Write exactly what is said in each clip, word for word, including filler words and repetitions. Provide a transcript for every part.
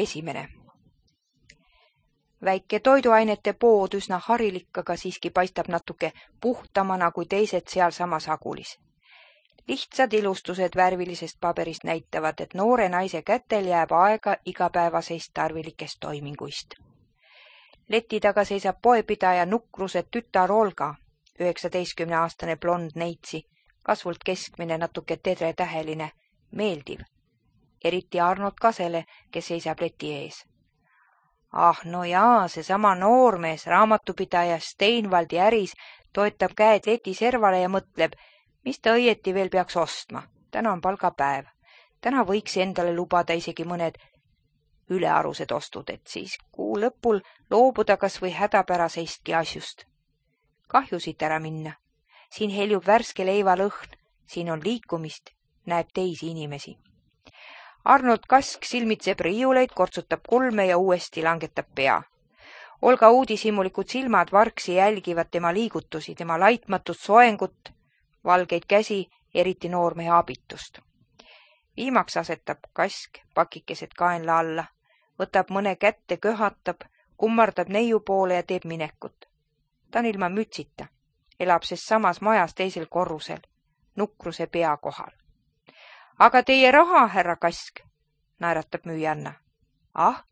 Esimene. Väike toiduainete pood üsna harilik, aga siiski paistab natuke puhtamana kui teised sealsamas Agulis. Lihtsad ilustused värvilisest paberist näitavad, et noore naise kätel jääb aega igapäevaseist tarvilikest toiminguist. Leti taga seisab poepidaja nukruse tütar Olga, üheksateistkümneaastane blond neitsi, kasvult keskmine, natuke tedretäheline, meeldiv. Eriti Arnold Kasele, kes seisab leti ees. Ah, no jaa, seesama noormees, raamatupidaja Steinvaldi äris, toetab käed leti servale ja mõtleb, mis ta õieti veel peaks ostma. Täna on palgapäev. Täna võiks endale lubada isegi mõned ülearused ostud, et siis kuu lõpul loobuda kas või hädapäraseistki asjust. Kahju siit ära minna. Siin heljub värske leiva lõhn, siin on liikumist, näeb teisi inimesi. Arnold Kask silmitseb riiuleid, kortsutab kulme ja uuesti langetab pea. Olga uudishimulikud silmad vargsi jälgivad tema liigutusi, tema laitmatut soengut, valgeid käsi, eriti noormehe abitust. Viimaks asetab Kask pakikesed kaenla alla, võtab mõne kätte, köhatab, kummardab neiu poole ja teeb minekut. Ta on ilma mütsita, elab ses samas majas teisel korrusel, nukruse pea kohal. Aga teie raha, härra Kask, naeratab müüjanna. Ah,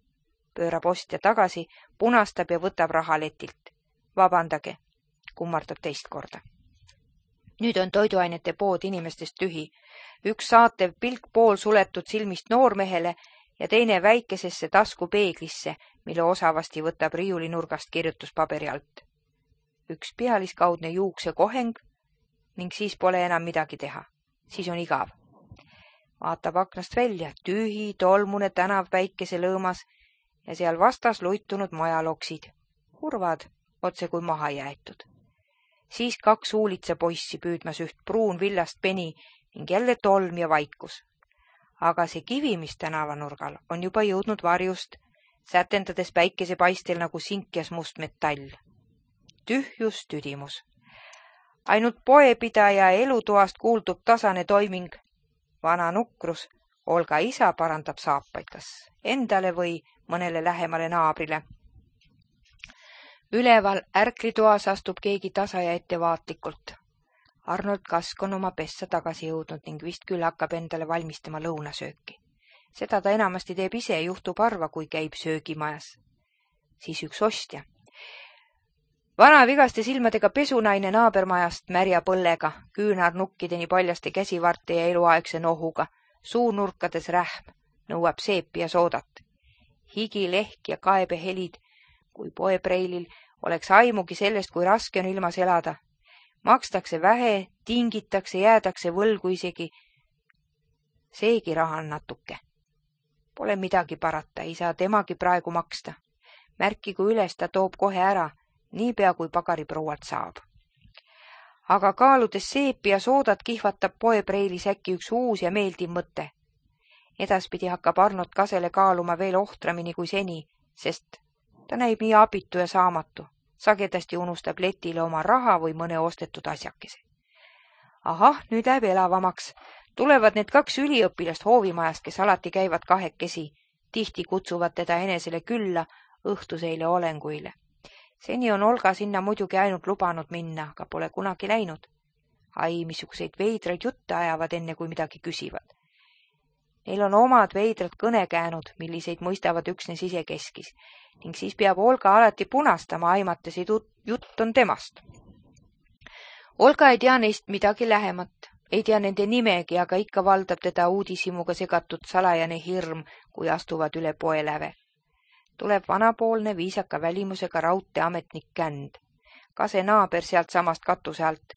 pöörab ostja tagasi, punastab ja võtab raha letilt. Vabandage, kummardab teist korda. Nüüd on toiduainete pood inimestest tühi. Üks saatev pilk pool suletud silmist noormehele ja teine väikesesse taskupeeglisse, mille osavasti võtab riiulinurgast kirjutuspaberi alt. Üks pealiskaudne juukse koheng ning siis pole enam midagi teha. Siis on igav. Vaatab aknast välja, tühi, tolmune tänav päikese lõõmas ja seal vastas luitunud majaloksid. Kurvad, otse kui maha jäetud. Siis kaks huulitsa poissi püüdmas üht pruun villast peni ning jälle tolm ja vaikus. Aga see kivi, mis tänavanurgal, on juba jõudnud varjust, sätendades päikese paistel nagu sinkjas must metall. Tühjus, tüdimus. Ainult poepidaja elutoast kuuldub tasane toiming. Vana nukrus, Olga isa parandab saapaid kas endale või mõnele lähemale naabrile. Üleval ärklitoas astub keegi tasa ja ettevaatlikult. Arnold Kask on oma pessa tagasi jõudnud ning vist küll hakkab endale valmistama lõunasööki. Seda ta enamasti teeb ise, juhtub harva, kui käib söögimajas. Siis üks ostja. Vana vigaste silmadega pesunaine naabermajast märja põllega, küünarnukkideni paljaste käsivarte ja eluaegse nohuga, suunurkades rähm, nõuab seepi ja soodat. Higi, lehk ja kaebehelid, kui poepreilil oleks aimugi sellest, kui raske on ilmas elada. Makstakse vähe, tingitakse, jäädakse võlgu isegi. Seegi raha on natuke. Pole midagi parata, ei saa temagi praegu maksta. Märkigu üles, ta toob kohe ära, niipea kui pagariproualt saab. Aga kaaludes seepi ja soodat kihvatab poepreilis äkki üks uus ja meeldiv mõte. Edaspidi hakkab Arnold Kasele kaaluma veel ohtramini kui seni, sest ta näib nii abitu ja saamatu. Sagedasti unustab letile oma raha või mõne ostetud asjakese. Ahah, nüüd läheb elavamaks. Tulevad need kaks üliõpilast hoovimajast, kes alati käivad kahekesi. Tihti kutsuvad teda enesele külla õhtuseile olenguile. Seni on Olga sinna muidugi ainult lubanud minna, aga pole kunagi läinud. Ai, missuguseid veidraid jutte ajavad enne, kui midagi küsivad. Neil on omad veidrad kõnekäänud, milliseid mõistavad üksnes isekeskis, ning siis peab Olga alati punastama, aimates jutt on temast. Olga ei tea neist midagi lähemat, ei tea nende nimegi, aga ikka valdab teda uudishimuga segatud salajane hirm, kui astuvad üle poeläve. Tuleb vanapoolne viisaka välimusega raudteametnik Känd. Kase naaber sealt samast katuse alt.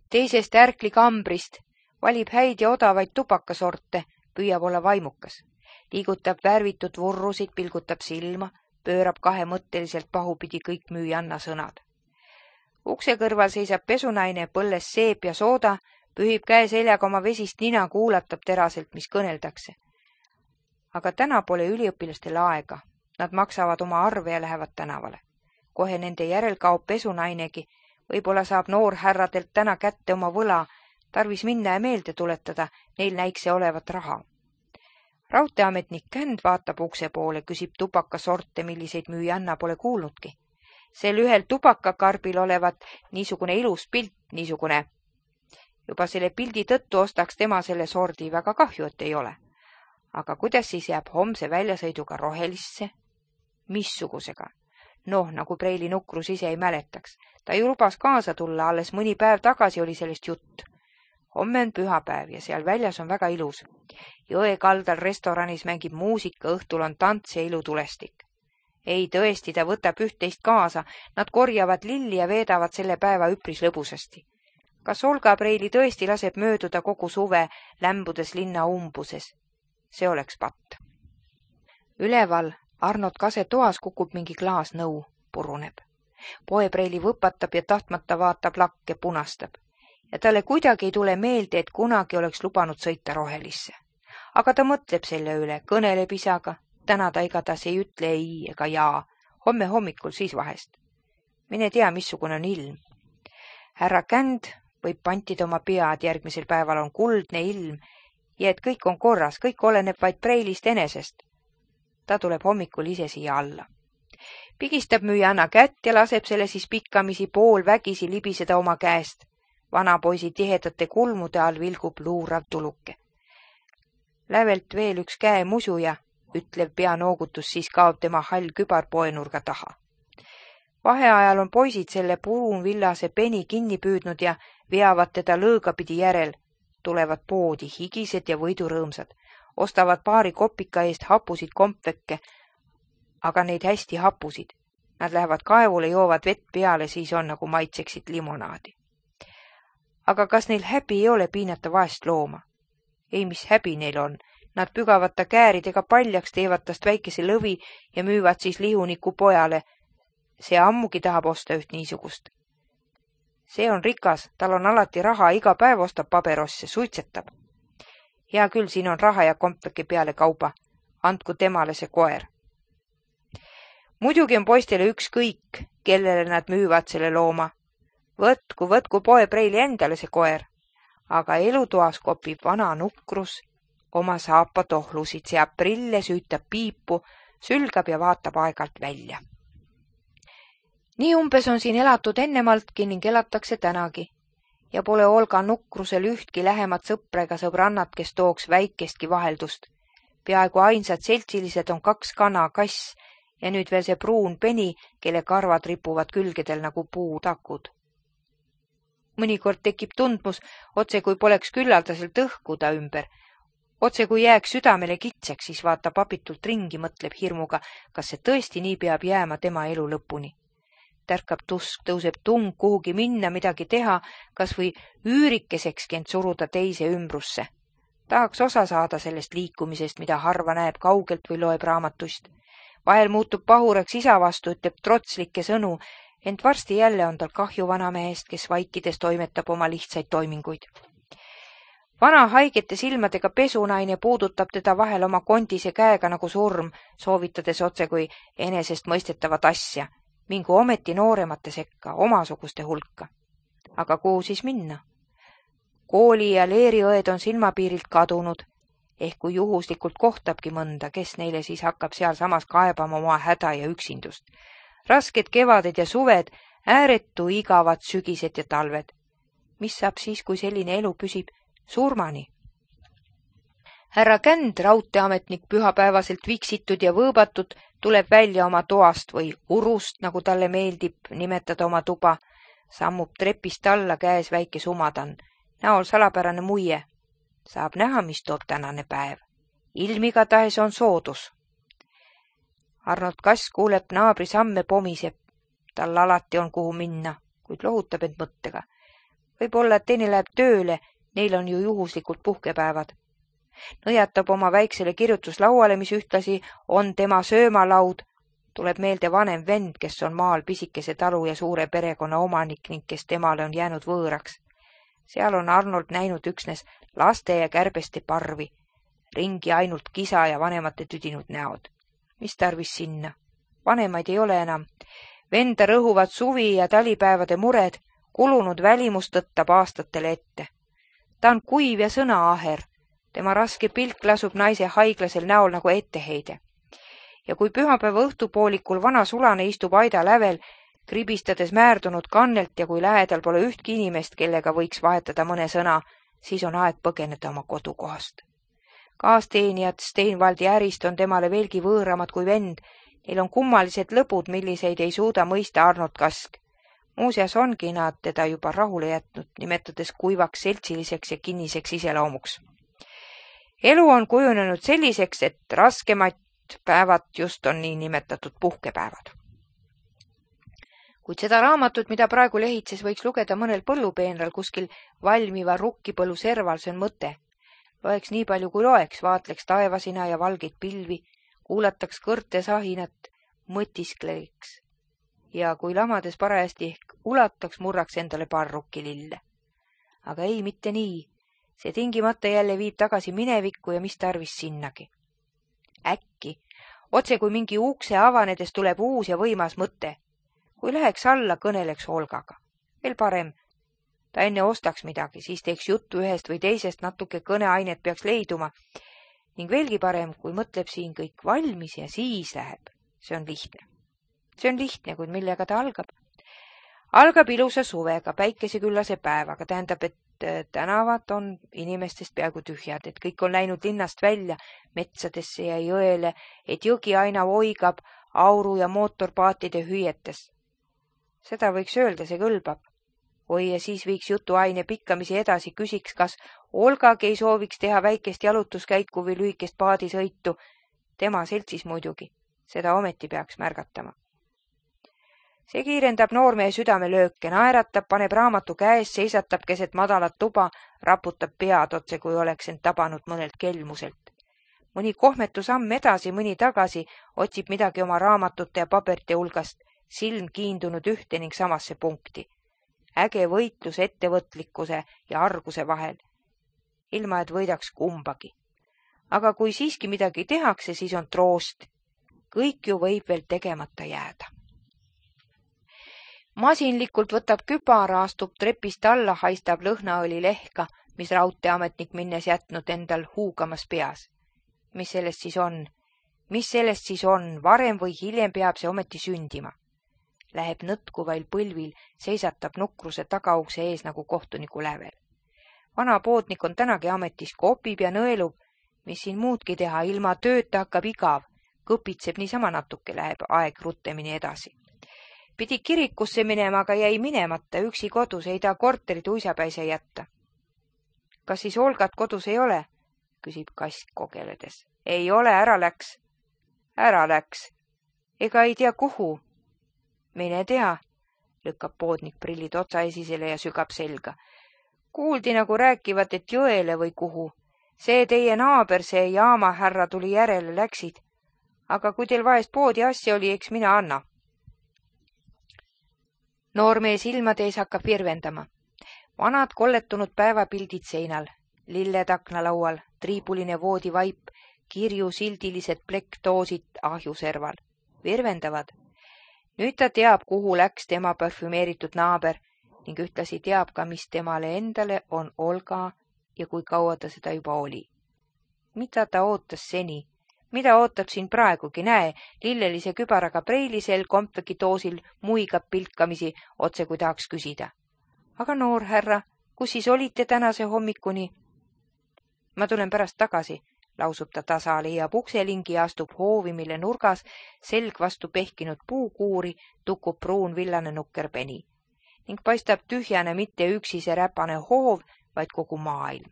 Teisest ärkli kambrist valib häid ja odavaid tubakasorte, püüab olla vaimukas. Liigutab värvitud vurrusid, pilgutab silma, pöörab kahemõtteliselt pahupidi kõik müüjanna sõnad. Ukse kõrval seisab pesunaine, põlles seep ja sooda, pühib käe seljaga oma vesist nina, kuulatab teraselt, mis kõneldakse. Aga täna pole üliõpilastel aega. Nad maksavad oma arve ja lähevad tänavale. Kohe nende järel kaob pesunainegi. Võib-olla saab noor härradelt täna kätte oma võla. Tarvis minna ja meelde tuletada, neil näikse olevat raha. Raudteeametnik Känd vaatab ukse poole, küsib tubakasorte, milliseid müüjanna pole kuulnudki. Sel ühel tubakakarbil olevat niisugune ilus pilt, niisugune. Juba selle pildi tõttu ostaks tema selle sordi, väga kahju, et ei ole. Aga kuidas siis jääb homse väljasõiduga rohelisse? Missugusega? Noh, nagu Preili Nukrus ise ei mäletaks. Ta ju lubas kaasa tulla, alles mõni päev tagasi oli sellest jutt. Homme on pühapäev ja seal väljas on väga ilus. Jõe kaldal restoranis mängib muusika, õhtul on tants ja ilutulestik. Ei tõesti, ta võtab üht-teist kaasa, nad korjavad lilli ja veedavad selle päeva üpris lõbusasti. Kas Olga Preili tõesti laseb mööduda kogu suve, lämbudes linna umbuses? See oleks patt. Üleval Arnold Kase toas kukub mingi klaas nõu, puruneb. Poe Preili võpatab ja tahtmata vaatab lakke, punastab. Ja talle kuidagi ei tule meelde, et kunagi oleks lubanud sõita rohelisse. Aga ta mõtleb selle üle, kõneleb isaga. Täna ta igatahes ei ütle ei ega jaa. Homme hommikul siis vahest. Mine tea, missugune on ilm. Härra Känd võib pantida oma pead, järgmisel päeval on kuldne ilm ja et kõik on korras, kõik oleneb vaid Preilist enesest. Ta tuleb hommikul ise siia alla. Pigistab müüjanna kätt ja laseb selle siis pikkamisi pool vägisi libiseda oma käest. Vanapoisi tihedate kulmude all vilgub luurav tuluke. Lävelt veel üks käe musuja, ütlev peanoogutus, siis kaob tema hall kübar poenurga taha. Vaheajal on poisid selle purunvillase peni kinni püüdnud ja veavad teda lõõgapidi järel. Tulevad poodi higised ja võidurõõmsad. Ostavad paari kopika eest hapusid kompvekke, aga neid hästi hapusid. Nad lähevad kaevule, joovad vett peale, siis on nagu maitseksid limonaadi. Aga kas neil häbi ei ole piinata vaest looma? Ei, mis häbi neil on. Nad pügavad ta kääridega paljaks, teevad tast väikese lõvi ja müüvad siis lihuniku pojale. See ammugi tahab osta üht niisugust. See on rikas, tal on alati raha, iga päev ostab paberosse, suitsetab. Hea küll, siin on raha ja kompveke peale kauba. Andku temale see koer. Muidugi on poistele ükskõik, kellele nad müüvad selle looma. Võtku, võtku Poe Preili endale see koer. Aga elutoas kopib vana Nukrus, oma saapa tohlusid, seab prille, süütab piipu, sülgab ja vaatab aegalt välja. Nii umbes on siin elatud ennemaltki ning elatakse tänagi. Ja pole Olga Nukrusel ühtki lähemat sõpra ega sõbrannat, kes tooks väikestki vaheldust. Peaaegu ainsad seltsilised on kaks kana, kass ja nüüd veel see pruun peni, kelle karvad ripuvad külgedel nagu puutakud. Mõnikord tekib tundmus, otse kui poleks küllaldaselt õhku ta ümber. Otse kui jääks südamele kitseks, siis vaatab abitult ringi, mõtleb hirmuga, kas see tõesti nii peab jääma tema elu lõpuni. Tärkab tusk, tõuseb tung kuhugi minna, midagi teha, kas või üürikesekski end suruda teise ümbrusse. Tahaks osa saada sellest liikumisest, mida harva näeb kaugelt või loeb raamatust. Vahel muutub pahuraks isa vastu, ütleb trotslikke sõnu, ent varsti jälle on tal kahju vanamehest, kes vaikides toimetab oma lihtsaid toiminguid. Vana haigete silmadega pesunaine puudutab teda vahel oma kondise käega nagu surm, soovitades otse kui enesest mõistetavat asja. Mingu ometi nooremate sekka, omasuguste hulka. Aga kuhu siis minna? Kooli ja leeriõed on silmapiirilt kadunud, ehk kui juhuslikult kohtabki mõnda, kes neile siis hakkab seal samas kaebama oma häda ja üksindust. Rasked kevaded ja suved, ääretu igavad sügised ja talved. Mis saab siis, kui selline elu püsib surmani? Härra Känd, raudteeametnik pühapäevaselt viksitud ja võõbatud, tuleb välja oma toast või urust, nagu talle meeldib nimetada oma tuba, sammub trepist alla, käes väike sumadan, näol salapärane muie. Saab näha, mis toob tänane päev. Ilm igatahes on soodus. Arnold Kass kuuleb naabri samme, pomiseb. Tal alati on kuhu minna, kuid lohutab end mõttega. Võib-olla, et teine läheb tööle, neil on ju juhuslikult puhkepäevad. Nõjatab oma väiksele kirjutuslauale, mis ühtlasi on tema söömalaud. Tuleb meelde vanem vend, kes on maal pisikese talu ja suure perekonna omanik ning kes temale on jäänud võõraks. Seal on Arnold näinud üksnes laste ja kärbeste parvi, ringi ainult kisa ja vanemate tüdinud näod. Mis tarvis sinna? Vanemaid ei ole enam. Venda rõhuvad suvi ja talipäevade mured, kulunud välimust tõttab aastatele ette. Ta on kuiv ja sõnaaher. Tema raske pilk lasub naise haiglasel näol nagu etteheide. Ja kui pühapäeva õhtupoolikul vana sulane istub aida lävel, kribistades määrdunud kannelt ja kui lähedal pole ühtki inimest, kellega võiks vahetada mõne sõna, siis on aeg põgeneda oma kodukohast. Kaasteenijad Steinvaldi ärist on temale veelgi võõramad kui vend. Neil on kummalised lõbud, milliseid ei suuda mõista Arnold Kask. Muuseas ongi nad teda juba rahule jätnud, nimetades kuivaks, seltsiliseks ja kinniseks iseloomuks. Elu on kujunenud selliseks, et raskemad päevad just on nii nimetatud puhkepäevad. Kuid seda raamatut, mida praegu lehitses, võiks lugeda mõnel põllupeenral kuskil valmiva rukkipõllu serval, see on mõte. Loeks nii palju kui loeks, vaatleks taevasina ja valgeid pilvi, kuulataks kõrte sahinat, mõtiskleks ja kui lamades parajasti ehk ulataks, murraks endale paar rukkilille. Aga ei, mitte nii. See tingimata jälle viib tagasi minevikku ja mis tarvis sinnagi. Äkki, otse kui mingi ukse avanedes tuleb uus ja võimas mõte. Kui läheks alla, kõneleks Olgaga. Veel parem, ta enne ostaks midagi, siis teeks juttu ühest või teisest, natuke kõneainet peaks leiduma. Ning veelgi parem, kui mõtleb siin kõik valmis ja siis läheb. See on lihtne. See on lihtne, kuid millega ta algab? Algab ilusa suvega, päikeseküllase päevaga, tähendab, et tänavad on inimestest peaaegu tühjad, et kõik on läinud linnast välja metsadesse ja jõele, et jõgi aina voigab auru ja mootorpaatide hüüetes. Seda võiks öelda, see kõlbab. Oi, ja siis viiks jutuaine pikkamisi edasi, küsiks, kas Olgagi ei sooviks teha väikest jalutuskäiku või lühikest paadisõitu. Tema seltsis muidugi, seda ometi peaks märgatama. See kiirendab noormehe südamelööke, naeratab, paneb raamatu käes, seisatab keset madalat tuba, raputab pead otse, kui oleks end tabanud mõnelt kelmuselt. Mõni kohmetu samm edasi, mõni tagasi, otsib midagi oma raamatute ja paberite hulgast, silm kiindunud ühte ning samasse punkti. Äge võitlus ettevõtlikkuse ja arguse vahel, ilma et võidaks kumbagi. Aga kui siiski midagi tehakse, siis on troost. Kõik ju võib veel tegemata jääda. Masinlikult võtab küpara, astub trepist alla, haistab lõhnaõli lehka, mis raudteeametnik minnes jätnud endal huugamas peas. Mis sellest siis on? Mis sellest siis on? Varem või hiljem peab see ometi sündima. Läheb nõtkuvail põlvil, seisatab nukruse tagaukse ees nagu kohtuniku lävel. Vana poodnik on tänagi ametis, kopib ja nõelub, mis siin muudki teha, ilma tööta hakkab igav, kõpitseb niisama natuke, läheb aeg ruttemini edasi. Pidi kirikusse minema, aga jäi minemata, üksi kodus, ei ta korterit uisapäise jätta. Kas siis Olgat kodus ei ole? Küsib Kask kogeledes. Ei ole, ära läks. Ära läks. Ega ei tea kuhu. Mine tea, lükkab poodnik prillid otsaesisele ja sügab selga. Kuuldi nagu rääkivat, et jõele või kuhu. See teie naaber, see jaamahärra tuli järele, läksid. Aga kui teil vahest poodi asja oli, eks mina anna. Noormehe silmade ees hakkab virvendama. Vanad kolletunud päevapildid seinal, lilled aknalaual, triibuline voodivaip, kirju sildilised plekktoosid ahjuserval. Virvendavad. Nüüd ta teab, kuhu läks tema parfümeeritud naaber ning ühtlasi teab ka, mis temale endale on Olga ja kui kaua ta seda juba oli. Mida ta ootas seni? Mida ootab siin praegugi? Näe, lillelise kübaraga preilisel kompvekitoosil muigab pilkamisi, otse kui tahaks küsida. Aga noor härra, kus siis olite tänase hommikuni? Ma tulen pärast tagasi, lausub ta tasa, leiab ukselingi ja astub hoovi, mille nurgas selg vastu pehkinud puukuuri tukub pruun villane nukkerpeni ning paistab tühjane mitte üksi see räpane hoov, vaid kogu maailm.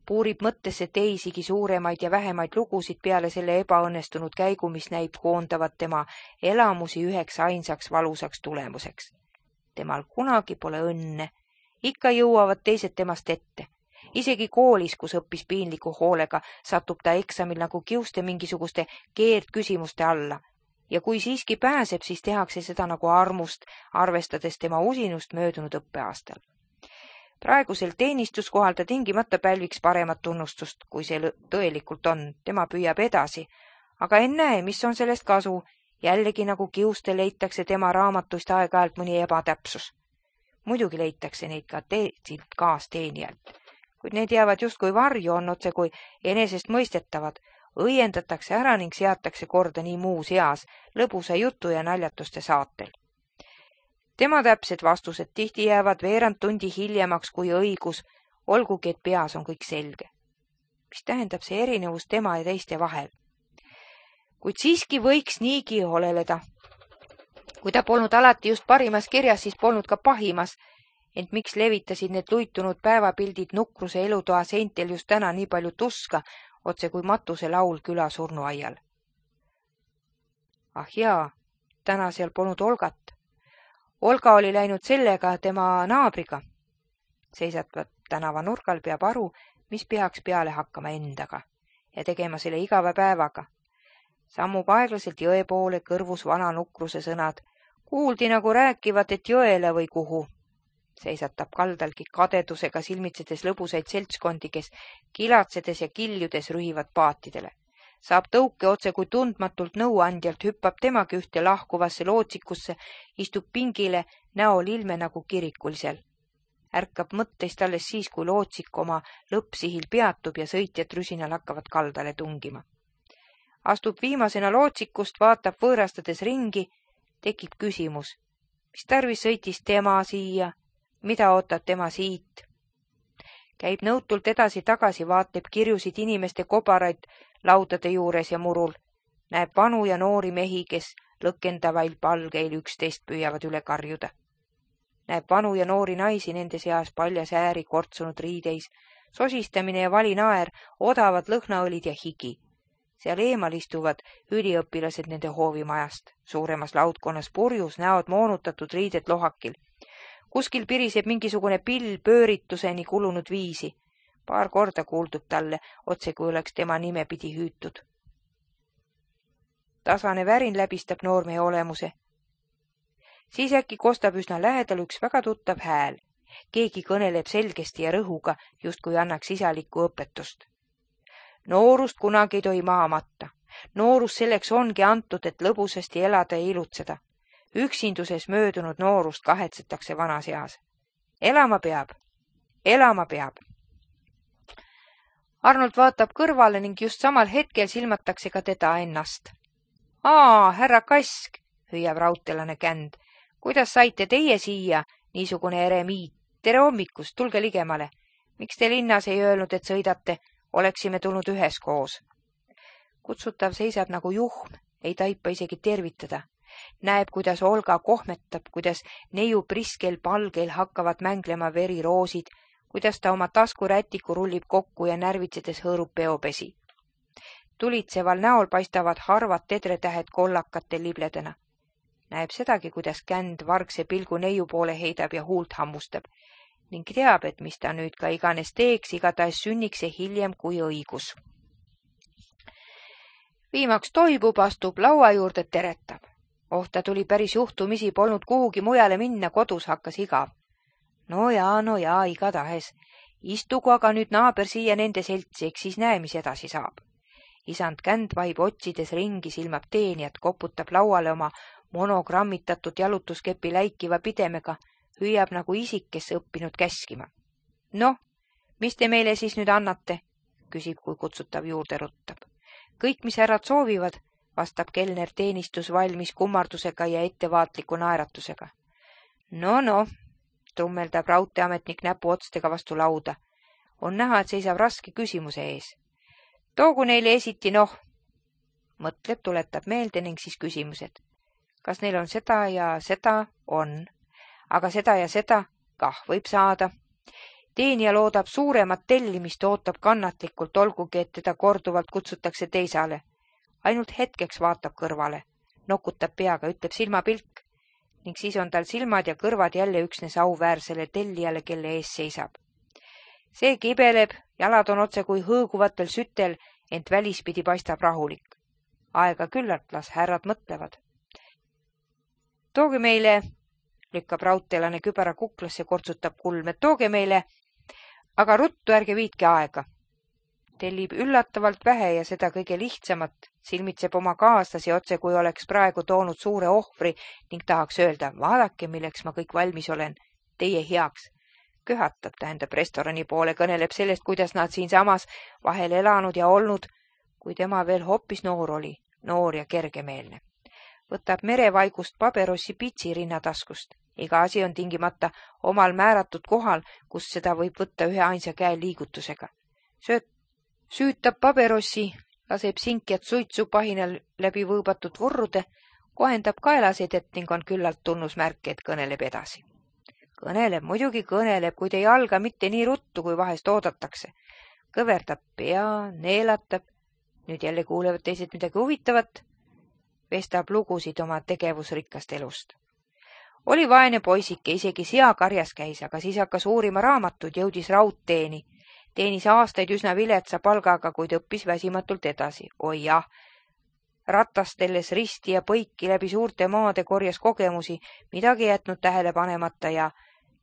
Puurib mõttesse teisigi suuremaid ja vähemaid lugusid peale selle ebaõnnestunud käigu, mis näib koondavat tema elamusi üheks ainsaks valusaks tulemuseks. Temal kunagi pole õnne, ikka jõuavad teised temast ette. Isegi koolis, kus õppis piinliku hoolega, satub ta eksamil nagu kiuste mingisuguste keerdküsimuste alla. Ja kui siiski pääseb, siis tehakse seda nagu armust, arvestades tema usinust möödunud õppeaastal. Praegusel teenistuskohal ta tingimata pälviks paremat tunnustust, kui see tõelikult on. Tema püüab edasi, aga ennäe, mis on sellest kasu. Jällegi nagu kiuste leitakse tema raamatust aeg-ajalt mõni ebatäpsus. Muidugi leitakse neid ka teiselt kaasteenijalt. kuid need jäävad justkui varju, on otse kui enesest mõistetavad, õiendatakse ära ning seatakse korda nii muus eas, lõbusa jutu ja naljatuste saatel. Tema täpsed vastused tihti jäävad veerand tundi hiljemaks kui õigus, olgugi et peas on kõik selge. Mis tähendab see erinevus tema ja teiste vahel? Kuid siiski võiks niigi oleleda. Kui ta polnud alati just parimas kirjas, siis polnud ka pahimas, ent miks levitasid need luitunud päevapildid nukruse elutoa seintel just täna nii palju tuska, otse kui matuse laul küla surnuaial. Ah jaa, täna seal polnud Olgat. Olga oli läinud sellega tema naabriga. Seisatvat tänava nurgal peab aru, mis peaks peale hakkama endaga ja tegema selle igava päevaga. Sammub aeglaselt jõe poole, kõrvus vana nukruse sõnad. Kuuldi nagu rääkivat, et jõele või kuhu. Seisatab kaldalgi kadedusega silmitsedes lõbusaid seltskondi, kes kilatsedes ja kiljudes rühivad paatidele. Saab tõuke otse kui tundmatult nõuandjalt, hüppab temagi ühte lahkuvasse lootsikusse, istub pingile, näol ilme nagu kirikulisel. Ärkab mõtteist alles siis, kui lootsik oma lõppsihil peatub ja sõitjad rüsinal hakkavad kaldale tungima. Astub viimasena lootsikust, vaatab võõrastades ringi, tekib küsimus, mis tarvis sõitis tema siia, mida ootab tema siit. Käib nõutult edasi-tagasi, vaatleb kirjusid inimeste kobaraid laudade juures ja murul, näeb vanu ja noori mehi, kes lõkendavail palgeil üksteist püüavad üle karjuda. Näeb vanu ja noori naisi nende seas paljas ääri kortsunud riideis, sosistamine ja valinaer, odavad lõhnaõlid ja higi. Seal eemal istuvad üliõpilased nende hoovimajast, suuremas laudkonnas purjus, näod moonutatud riided lohakil. Kuskil piriseb mingisugune pill pöörituseni kulunud viisi. Paar korda kuuldub talle, otse kui oleks tema nime pidi hüütud. Tasane värin läbistab noormehe olemuse. Siis äkki kostab üsna lähedal üks väga tuttav hääl. Keegi kõneleb selgesti ja rõhuga, justkui annaks isalikku õpetust. Noorust kunagi ei tohi maha matta. Noorus selleks ongi antud, et lõbusasti elada ja ilutseda. Üksinduses möödunud noorust kahetsetakse vanas eas. Elama peab. Elama peab. Arnold vaatab kõrvale ning just samal hetkel silmatakse ka teda ennast. Aa, härra Kask, hüüab raudtelane Känd. Kuidas saite teie siia, niisugune eremiit? Tere hommikust, tulge ligemale. Miks te linnas ei öelnud, et sõidate? Oleksime tulnud üheskoos. Kutsutav seisab nagu juhm, ei taipa isegi tervitada. Näeb, kuidas Olga kohmetab, kuidas neiu priskel palgeil hakkavad mänglema veriroosid, kuidas ta oma taskurätiku rullib kokku ja närvitsedes hõõrub peopesi. Tulitseval näol paistavad harvad tedretähed kollakatel libledena. Näeb sedagi, kuidas Känd vargse pilgu neiu poole heidab ja huult hammustab ning teab, et mis ta nüüd ka iganes teeks, igatahes sünniks see hiljem kui õigus. Viimaks toibub, astub laua juurde, teretab. Oh, ta tuli päris juhtumisi, polnud kuhugi mujale minna, kodus hakkas igav. No jaa, no jaa, igatahes. Istugu aga nüüd naaber siia nende seltsi, eks siis näe, mis edasi saab. Isand Känd vaib otsides ringi, silmab teenijat, koputab lauale oma monogrammitatud jalutuskepi läikiva pidemega, hüüab nagu isik, kes õppinud käskima. Noh, mis te meile siis nüüd annate? Küsib, kui kutsutav juurde ruttab. Kõik, mis härrad soovivad, vastab kelner teenistus valmis kummardusega ja ettevaatliku naeratusega. No, no, trummeldab raudteeametnik näpu otstega vastu lauda. On näha, et seisab raske küsimuse ees. Toogu neile esiti, noh. Mõtleb, tuletab meelde ning siis küsimused. Kas neil on seda ja seda? On. Aga seda ja seda? Kah võib saada. Teenija loodab suuremat tellimist, ootab kannatlikult, olgugi, et teda korduvalt kutsutakse teisale. Ainult hetkeks vaatab kõrvale, nokutab peaga, ütleb silmapilk ning siis on tal silmad ja kõrvad jälle üksnes auväärsele tellijale, kelle ees seisab. See kibeleb, jalad on otse kui hõõguvatel sütel, ent välispidi paistab rahulik. Aega küllalt, las härrad mõtlevad. Tooge meile, lükkab raudteelane kübara kuklasse, kortsutab kulme, tooge meile, aga ruttu ärge viitke aega. Tellib üllatavalt vähe ja seda kõige lihtsamat, silmitseb oma kaaslasi otse, kui oleks praegu toonud suure ohvri ning tahaks öelda, vaadake, milleks ma kõik valmis olen, teie heaks. Köhatab, tähendab restorani poole, kõneleb sellest, kuidas nad siinsamas vahel elanud ja olnud, kui tema veel hoopis noor oli, noor ja kergemeelne. Võtab merevaigust paberossi pitsi rinnataskust. Iga asi on tingimata omal määratud kohal, kus seda võib võtta ühe ainsa käe liigutusega. Sööt, süütab paberossi, laseb sinkjat suitsu pahinal läbi võõbatud vurrude, kohendab kaelasedet ning on küllalt tunnusmärk, et kõneleb edasi. Kõneleb, muidugi kõneleb, kuid ei alga mitte nii ruttu, kui vahest oodatakse. Kõverdab pea, neelatab, nüüd jälle kuulevad teised midagi huvitavat, vestab lugusid oma tegevusrikkast elust. Oli vaene poisike, isegi seakarjas käis, aga siis hakkas uurima raamatud, jõudis raudteeni. Teenis aastaid üsna viletsa palgaga, kuid õppis väsimatult edasi. Oi jah, ratastelles risti ja põiki läbi suurte maade korjas kogemusi, midagi jätnud tähele panemata ja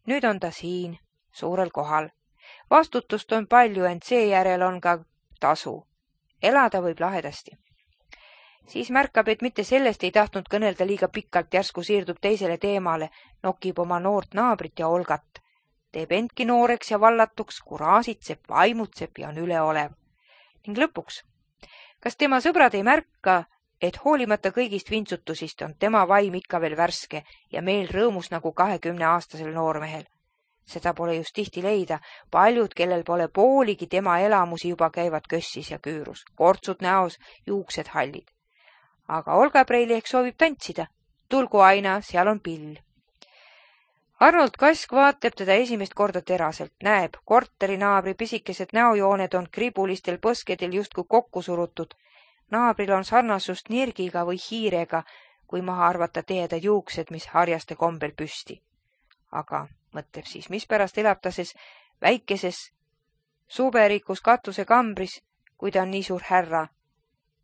nüüd on ta siin, suurel kohal. Vastutust on palju, ent seejärel on ka tasu. Elada võib lahedasti. Siis märkab, et mitte sellest ei tahtnud kõnelda liiga pikalt, järsku siirdub teisele teemale, nokib oma noort naabrit ja Olgat. Teeb endki nooreks ja vallatuks, kuraasitseb, vaimutseb ja on üleolev. Ning lõpuks, kas tema sõbrad ei märka, et hoolimata kõigist vintsutusist on tema vaim ikka veel värske ja meel rõõmus nagu kahekümne aastasel noormehel. Seda pole just tihti leida, paljud, kellel pole pooligi tema elamusi juba käivad kössis ja küürus, kortsud näos, juuksed hallid. Aga Olga Preili ehk soovib tantsida, tulgu aina, seal on pill. Arnold Kask vaatab teda esimest korda teraselt, näeb, korterinaabri pisikesed näojooned on kribulistel põskedel justkui kokku surutud. Naabril on sarnasust nirgiga või hiirega, kui maha arvata teedad juuksed, mis harjaste kombel püsti. Aga mõtleb siis, mispärast elab ta ses väikeses suberikus katuse kambris, kui ta on nii suur härra.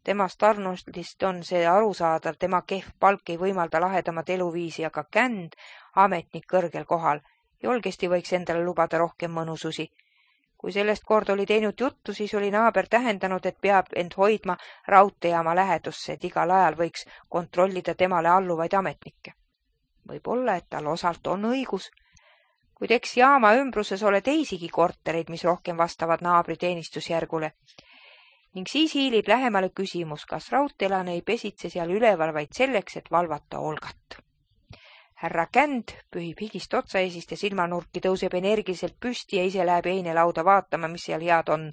Temast Arnoldist on see arusaadav, tema kehv palk ei võimalda lahedamat eluviisi, aga känd, ametnik kõrgel kohal, julgesti võiks endale lubada rohkem mõnususi. Kui sellest kord oli teinud juttu, siis oli naaber tähendanud, et peab end hoidma raudteejaama lähedusse, et igal ajal võiks kontrollida temale alluvaid ametnikke. Võib olla, et tal osalt on õigus, kuid eks jaama ümbruses ole teisigi kortereid, mis rohkem vastavad naabri teenistusjärgule. Ning siis hiilib lähemale küsimus, kas raudteelane ei pesitse seal üleval vaid selleks, et valvata Olgat. Härra Känd pühib higist otsaesist ja silmanurki, tõuseb energiliselt püsti ja ise läheb einelauda vaatama, mis seal head on.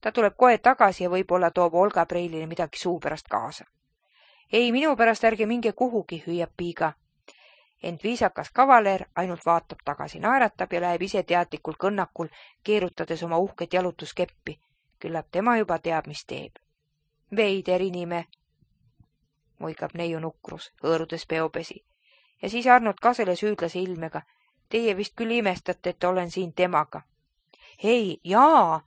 Ta tuleb kohe tagasi ja võib-olla toob Olga Preilile midagi suu pärast kaasa. Ei, minu pärast ärge minge kuhugi, hüüab piiga. Ent viisakas kavaler ainult vaatab tagasi, naeratab ja läheb ise teadlikul kõnnakul, keerutades oma uhket jalutuskeppi. Küllap tema juba teab, mis teeb. Veider inime, muigab neiu nukrus, hõõrudes peopesi. Ja siis Arnold Kasele süüdlase ilmega. Teie vist küll imestate, et olen siin temaga. Hei, jaa,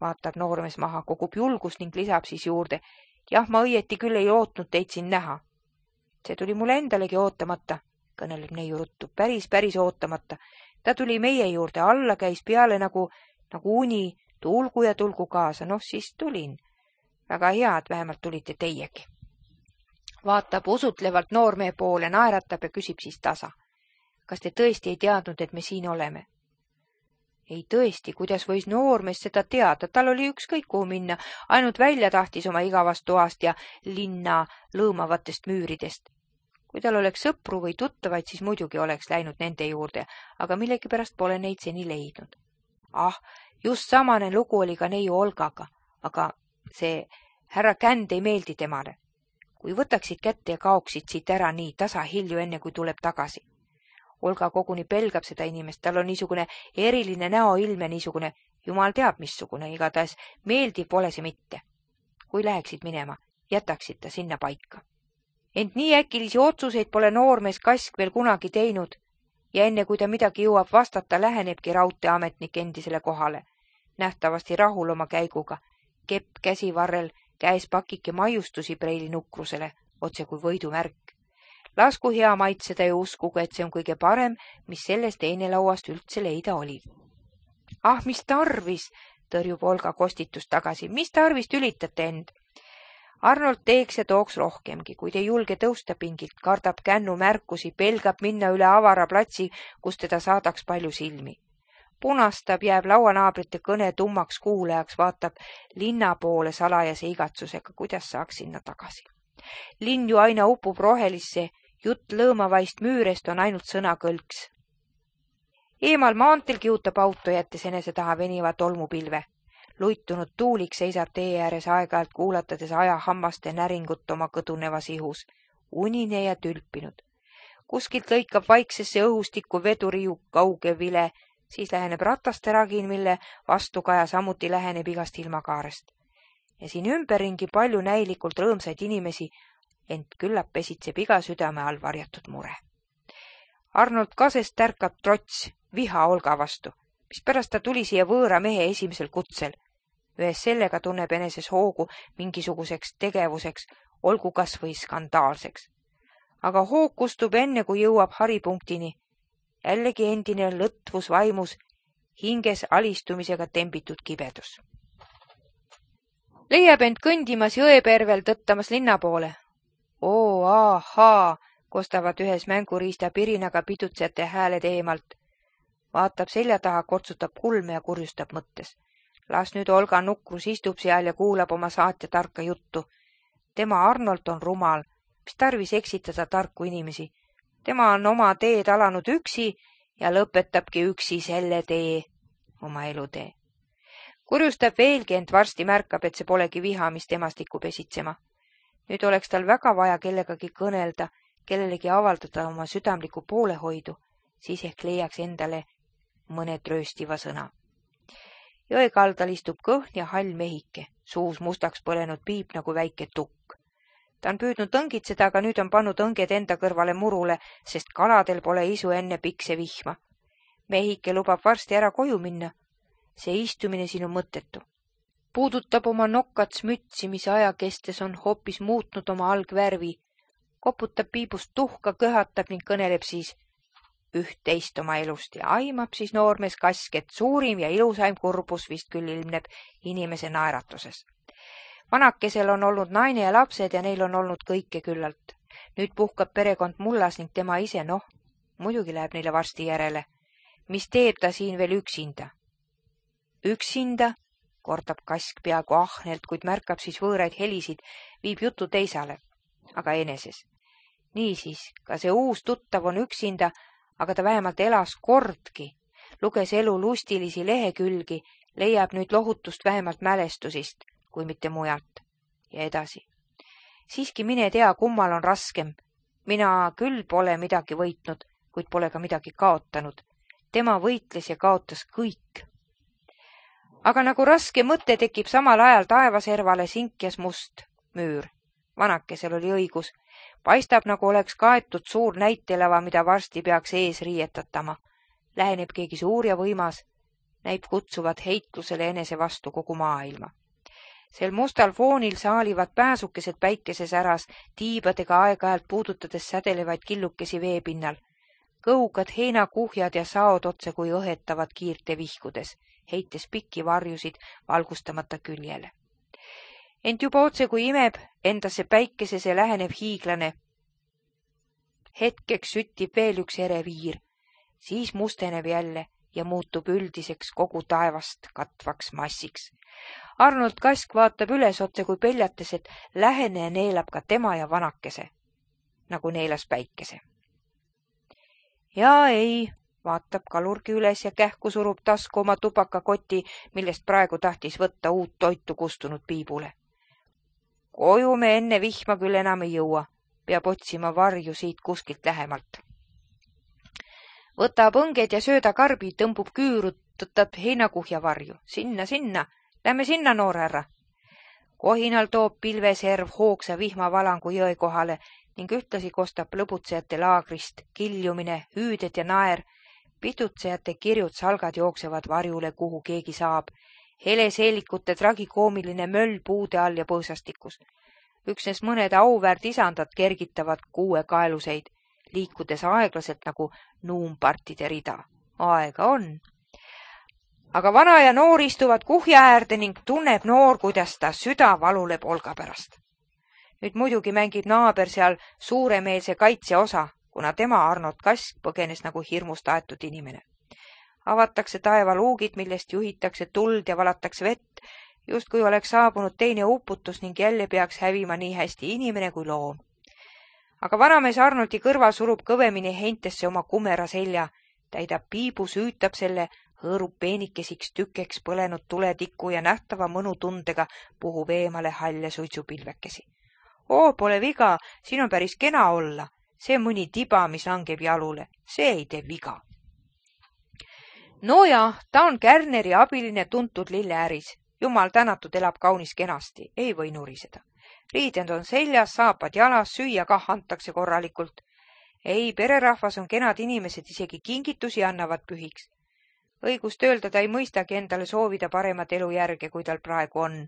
vaatab noormees maha, kogub julgust ning lisab siis juurde. Jah, ma õieti küll ei ootnud teid siin näha. See tuli mulle endalegi ootamata, kõneleb neiu ruttu, päris, päris ootamata. Ta tuli meie juurde, alla käis peale nagu, nagu uni, tulgu ja tulgu kaasa, noh siis tulin. Väga hea, et vähemalt tulite teiegi. Vaatab usutlevalt noormehe poole, naeratab ja küsib siis tasa. Kas te tõesti ei teadnud, et me siin oleme? Ei tõesti, kuidas võis noormees seda teada, tal oli ükskõik kuhu minna, ainult välja tahtis oma igavast toast ja linna lõõmavatest müüridest. Kui tal oleks sõpru või tuttavaid, siis muidugi oleks läinud nende juurde, aga millegipärast pole neid seni leidnud. Ah, just samane lugu oli ka neiu Olgaga, aga see härra Känd ei meeldi temale. Kui võtaksid kätte ja kaoksid siit ära nii tasa hilju enne, kui tuleb tagasi. Olga koguni pelgab seda inimest, tal on niisugune eriline näoilme, niisugune, jumal teab missugune, igatahes meeldiv pole see mitte. Kui läheksid minema, jätaksid ta sinna paika. Ent nii äkilisi otsuseid pole noormees Kask veel kunagi teinud ja enne kui ta midagi jõuab vastata, lähenebki raudteeametnik endisele kohale. Nähtavasti rahul oma käiguga, kepp käsivarrel, käes pakike maiustusi Preili nukrusele, otse kui võidumärk. Lasku hea maitseda ja uskugu, et see on kõige parem, mis sellest einelauast üldse leida oli. Ah, mis tarvis, tõrjub Olga kostitust tagasi, mis tarvis tülitate end? Arnold teeks ja tooks rohkemgi, kuid ei julge tõusta pingilt, kardab kännu märkusi, pelgab minna üle avara platsi, kus teda saadaks palju silmi. punastab, jääb lauanaabrite kõne tummaks kuulajaks, vaatab linna poole salajase igatsusega, kuidas saaks sinna tagasi. Linn ju aina upub rohelisse, jutt lõõmavaist müürest on ainult sõnakõlks. Eemal maanteel kihutab auto, jättes enese taha veniva tolmupilve. Luitunud tuulik seisab tee ääres aeg-ajalt kuulatades ajahammaste näringut oma kõdunevas ihus, unine ja tülpinud. Kuskilt lõikab vaiksesse õhustikku vedurijuk kauge vile, siis läheneb rataste ragin, mille vastukaja samuti läheneb igast ilmakaarest. Ja siin ümberringi palju näilikult rõõmsaid inimesi, ent küllap pesitseb iga südame all varjatud mure. Arnold Kasest tärkab trots, viha Olga vastu, mispärast ta tuli siia võõra mehe esimesel kutsel. Ühes sellega tunneb eneses hoogu mingisuguseks tegevuseks, olgu kas või skandaalseks. Aga hoog kustub enne, kui jõuab haripunktini. Jällegi endine lõtvus vaimus, hinges alistumisega tembitud kibedus. Leiab end kõndimas jõepervel tõttamas linna poole. Oo, ahaa, kostavad ühes mänguriista pirinaga pidutsejate hääled eemalt. Vaatab selja taha, kortsutab kulme ja kurjustab mõttes. Las nüüd Olga nukrus istub seal ja kuulab oma saatja tarka juttu. Tema Arnold on rumal, mis tarvis eksitada tarku inimesi. Tema on oma teed alanud üksi ja lõpetabki üksi selle tee, oma elutee. Kurjustab veelgi, ent varsti märkab, et see polegi viha, mis temast tikub esitsema. Nüüd oleks tal väga vaja kellegagi kõnelda, kellelegi avaldada oma südamlikku poolehoidu, siis ehk leiaks endale mõne trööstiva sõna. Jõe kaldal istub kõhn ja hall mehike, suus mustaks põlenud piip nagu väike tukk. Ta on püüdnud õngitseda, aga nüüd on pannud õnged enda kõrvale murule, sest kaladel pole isu enne pikse vihma. Mehike lubab varsti ära koju minna. See istumine siin on mõttetu. Puudutab oma nokkats mütsi, mis aja kestes on hoopis muutnud oma algvärvi. Koputab piibust tuhka, köhatab ning kõneleb siis üht-teist oma elust ja aimab siis noormees Kask, et suurim ja ilusaim kurbus vist küll ilmneb inimese naeratuses. Vanakesel on olnud naine ja lapsed ja neil on olnud kõike küllalt. Nüüd puhkab perekond mullas ning tema ise, noh, muidugi läheb neile varsti järele. Mis teeb ta siin veel üksinda? Üksinda, kordab Kask peaaegu ahnelt, kuid märkab siis võõraid helisid, viib jutu teisale, aga eneses. Niisiis, ka see uus tuttav on üksinda, aga ta vähemalt elas kordki, luges elu lustilisi lehekülgi, leiab nüüd lohutust vähemalt mälestusist, kui mitte mujalt. Ja edasi. Siiski mine tea, kummal on raskem. Mina küll pole midagi võitnud, kuid pole ka midagi kaotanud. Tema võitles ja kaotas kõik. Aga nagu raske mõte tekib samal ajal taevaservale sinkjas must müür. Vanakesel oli õigus. Paistab, nagu oleks kaetud suur näitelava, mida varsti peaks ees riietatama. Läheneb keegi suur ja võimas. Näib kutsuvat heitlusele enese vastu kogu maailma. Sel mustal foonil saalivad pääsukesed päikeses äras, tiibadega aeg-ajalt puudutades sädelevaid killukesi veepinnal. Kõugad heinakuhjad ja saod otse kui õhetavad kiirte vihkudes, heites pikki varjusid valgustamata küljele. Ent juba otse kui imeb, endasse päikesese läheneb hiiglane. Hetkeks süttib veel üks ere viir, siis musteneb jälle ja muutub üldiseks kogu taevast katvaks massiks. Arnold Kask vaatab üles otse kui peljates, et lähene neelab ka tema ja vanakese, nagu neelas päikese. Ja ei, vaatab kalurgi üles ja kähku surub tasku oma tupakakoti, millest praegu tahtis võtta uut toitu kustunud piibule. Koju me enne vihma küll enam ei jõua, peab otsima varju siit kuskilt lähemalt. Võtab õnged ja söödakarbi, tõmbub küüru, tõtab heinakuhja varju. Sinna, sinna, lähme sinna, noor härra. Kohinal toob pilveserv hoogsa vihmavalangu jõe kohale ning ühtlasi kostab lõbutsejate laagrist kiljumine, hüüded ja naer. Pidutsejate kirjud salgad jooksevad varjule, kuhu keegi saab. Heleseelikute tragikoomiline möll puude all ja põõsastikus. Üksnes mõned auväärt isandad kergitavad kuue kaeluseid, liikudes aeglaselt nagu nuumpartide rida. Aega on. Aga vana ja noor istuvad kuhja äärde ning tunneb noor, kuidas ta süda valuleb Olga pärast. Nüüd muidugi mängib naaber seal suuremeelse kaitse osa, kuna tema Arnold Kask põgenes nagu hirmust aetud inimene. Avatakse taevaluugid, millest juhitakse tuld ja valatakse vett, justkui oleks saabunud teine uputus ning jälle peaks hävima nii hästi inimene kui loom. Aga vanamees Arnoldi kõrval surub kõvemini heintesse oma kumera selja, täidab piibu, süütab selle, hõõrub peenikesiks tükeks põlenud tuletiku ja nähtava mõnutundega puhub eemale halle suitsupilvekesi. Oo, pole viga, siin on päris kena olla. See mõni tiba, mis langeb jalule, see ei tee viga. No ja, ta on Kärneri abiline tuntud lilleäris. Jumal tänatud, elab kaunis kenasti, ei või nuriseda. Riidend on seljas, saapad jalas, süüa kah antakse korralikult. Ei, pererahvas on kenad inimesed, isegi kingitusi annavad pühiks. Õigust öelda ta ei mõistagi endale soovida paremat elujärge, kui tal praegu on.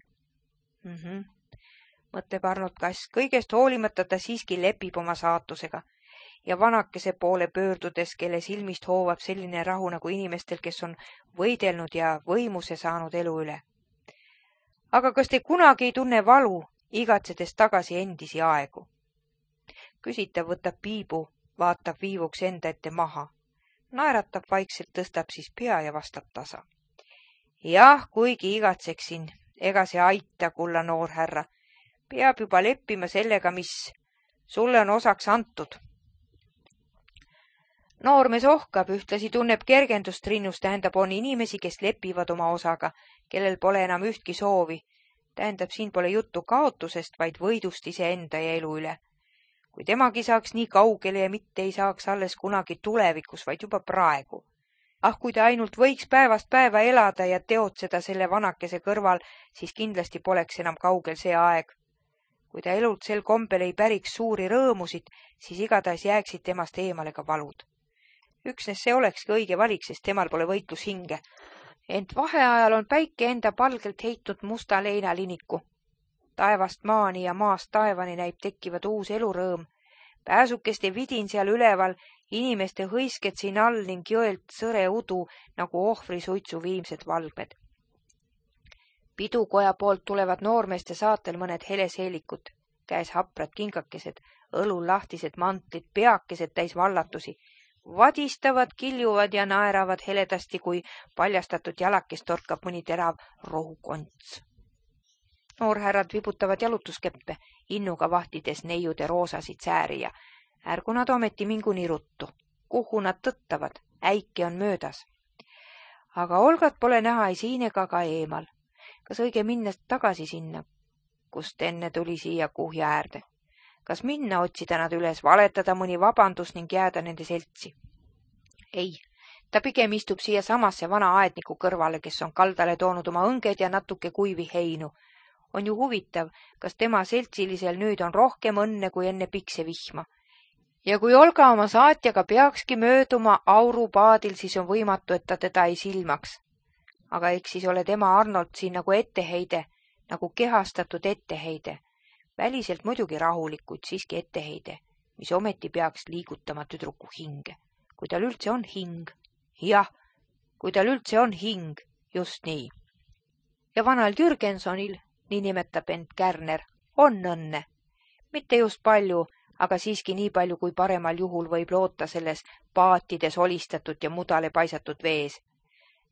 Mm -hmm. Mõtleb Arnold Kass, kõigest hoolimata ta siiski lepib oma saatusega ja vanakese poole pöördudes, kelle silmist hoovab selline rahu nagu inimestel, kes on võidelnud ja võimuse saanud elu üle. Aga kas te kunagi ei tunne valu, igatsedes tagasi endisi aegu? Küsitav võtab piibu, vaatab viivuks enda ette maha. Naeratab vaikselt, tõstab siis pea ja vastab tasa. Jah, kuigi igatseksin, ega see aita, kulla noor härra. Peab juba leppima sellega, mis sulle on osaks antud. Noormees ohkab, ühtlasi tunneb kergendust rinnus, tähendab on inimesi, kes lepivad oma osaga, kellel pole enam ühtki soovi. Tähendab, siin pole juttu kaotusest, vaid võidust iseenda ja elu üle. Kui temagi saaks nii kaugele ja mitte ei saaks alles kunagi tulevikus, vaid juba praegu. Ah, kui ta ainult võiks päevast päeva elada ja teotseda selle vanakese kõrval, siis kindlasti poleks enam kaugel see aeg. Kui ta elult sel kombel ei päriks suuri rõõmusid, siis igatahes jääksid temast eemale ka valud. Üksnes see olekski õige valik, sest temal pole võitlus hinge. Ent vaheajal on päike enda palgelt heitnud musta leinaliniku. Taevast maani ja maast taevani näib tekkivad uus elurõõm. Pääsukeste vidin seal üleval, inimeste hõisked siin all ning jõelt sõre udu nagu ohvri suitsu viimsed valgmed. Pidukoja poolt tulevad noormeeste saatel mõned heleseelikud, käes haprad kingakesed, õlul lahtised mantlid, peakesed täis vallatusi. Vadistavad, kiljuvad ja naeravad heledasti, kui paljastatud jalakest torkab mõni terav rohukonts. Noorhärrad vibutavad jalutuskeppe, innuga vahtides neiude roosasid sääri ja ärgu nad ometi mingu nii ruttu. Kuhu nad tõttavad, äike on möödas. Aga Olgat pole näha ei siin ega ka eemal. Kas õige minna tagasi sinna, kust enne tuli siia kuhja äärde? Kas minna otsida nad üles, valetada mõni vabandus ning jääda nende seltsi? Ei, ta pigem istub siia samasse vana aedniku kõrvale, kes on kaldale toonud oma õnged ja natuke kuivi heinu. On ju huvitav, kas tema seltsilisel nüüd on rohkem õnne kui enne pikse vihma. Ja kui Olga oma saatjaga peakski mööduma aurupaadil, siis on võimatu, et ta teda ei silmaks. Aga eks siis ole tema Arnold siin nagu etteheide, nagu kehastatud etteheide. Väliselt muidugi rahulik, kuid siiski etteheide, mis ometi peaks liigutama tüdruku hinge. Kui tal üldse on hing. Jah, kui tal üldse on hing, just nii. Ja vanal Jürgensonil, nii nimetab end Kärner, on õnne. Mitte just palju, aga siiski nii palju, kui paremal juhul võib loota selles paatides olistatud ja mudale paisatud vees.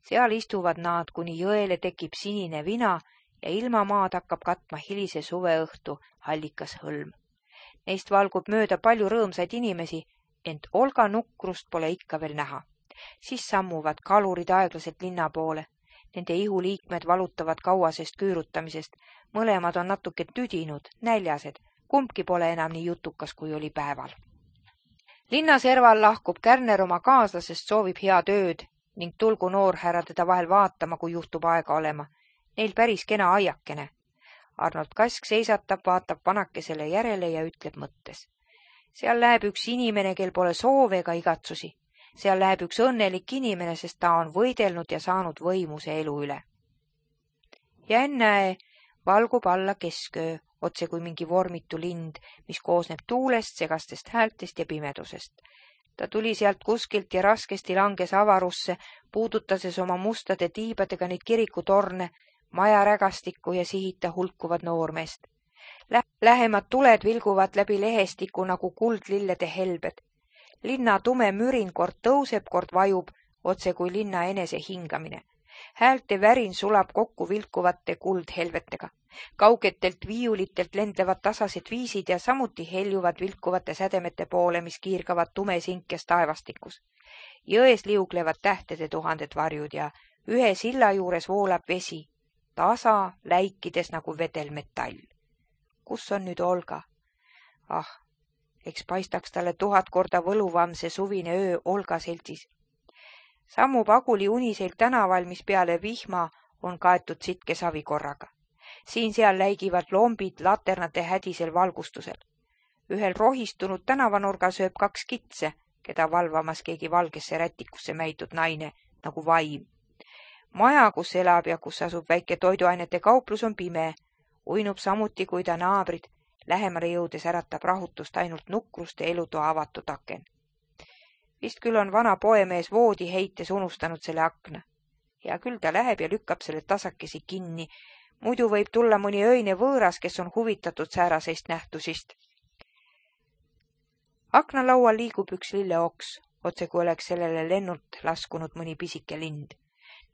Seal istuvad nad, kuni jõele tekib sinine vina ja ilmamaad hakkab katma hilise suveõhtu hallikas hõlm. Neist valgub mööda palju rõõmsaid inimesi, ent Olga nukrust pole ikka veel näha. Siis sammuvad kalurid aeglaselt linna poole. Nende ihuliikmed valutavad kauasest küürutamisest. Mõlemad on natuke tüdinud, näljased. Kumbki pole enam nii jutukas, kui oli päeval. Linnaserval lahkub Kärner oma kaaslasest, soovib head ööd ning tulgu noorhärra teda vahel vaatama, kui juhtub aega olema. Neil päris kena aiakene. Arnold Kask seisatab, vaatab vanakesele järele ja ütleb mõttes. Seal läheb üks inimene, kel pole soove ega igatsusi. Seal läheb üks õnnelik inimene, sest ta on võidelnud ja saanud võimuse elu üle. Ja ennäe, valgub alla kesköö, otse kui mingi vormitu lind, mis koosneb tuulest, segastest häältest ja pimedusest. Ta tuli sealt kuskilt ja raskesti langes avarusse, puudutases oma mustade tiibadega neid kirikutorne, maja rägastikku ja sihita hulkuvad noormeest. Lähemad tuled vilguvad läbi lehestiku nagu kuldlillede helbed. Linna tume mürin kord tõuseb, kord vajub, otse kui linna enese hingamine. Häälte värin sulab kokku vilkuvate kuldhelvetega. Kaugetelt viiulitelt lendlevad tasased viisid ja samuti heljuvad vilkuvate sädemete poole, mis kiirgavad tumesinkes taevastikus. Jões liuglevad tähtede tuhanded varjud ja ühe silla juures voolab vesi, tasa läikides nagu vedelmetall. Kus on nüüd Olga? Ah, eks paistaks talle tuhat korda võluvam see suvine öö Olga seltsis. Sammub Aguli uniseilt tänaval, mis peale vihma on kaetud sitke savikorraga. Siin-seal läigivad lombid laternate hädisel valgustusel. Ühel rohistunud tänavanurga sööb kaks kitse, keda valvamas keegi valgesse rätikusse mäitud naine, nagu vaim. Maja, kus elab ja kus asub väike toiduainete kauplus, on pime. Uinub samuti, kui ta naabrid. Lähemale jõudes äratab rahutust ainult nukrust ja elutoa avatud aken. Vist küll on vana poemees voodi heites unustanud selle akna. Ja küll ta läheb ja lükkab selle tasakesi kinni. Muidu võib tulla mõni öine võõras, kes on huvitatud säärasest nähtusist. Aknalaual liigub üks lilleoks, otse kui oleks sellele lennult laskunud mõni pisike lind.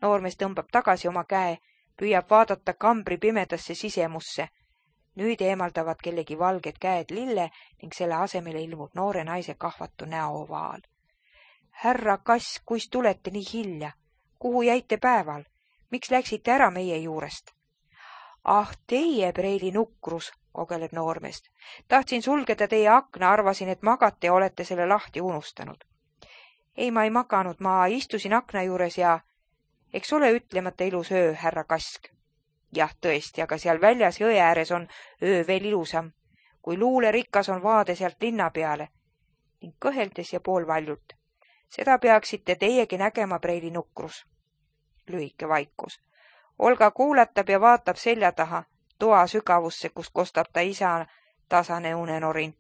Noormees tõmbab tagasi oma käe, püüab vaadata kambri pimedasse sisemusse. Nüüd eemaldavad kellegi valged käed lille ning selle asemele ilmub noore naise kahvatu näoovaal. Härra Kass, kuis tulete nii hilja? Kuhu jäite päeval? Miks läksite ära meie juurest? Ah, teie preili nukrus, kogeleb noormeest. Tahtsin sulgeda teie akna, arvasin, et magate ja olete selle lahti unustanud. Ei, ma ei maganud, ma istusin akna juures ja eks ole ütlemata ilus öö, härra Kask. Jah, tõesti, aga seal väljas jõe ääres on öö veel ilusam, kui luulerikas on vaade sealt linna peale ning kõheldes ja poolvaljult. Seda peaksite teiegi nägema, preili nukrus. Lühike vaikus. Olga kuulatab ja vaatab selja taha, toa sügavusse, kust kostab ta isa tasane unenorin.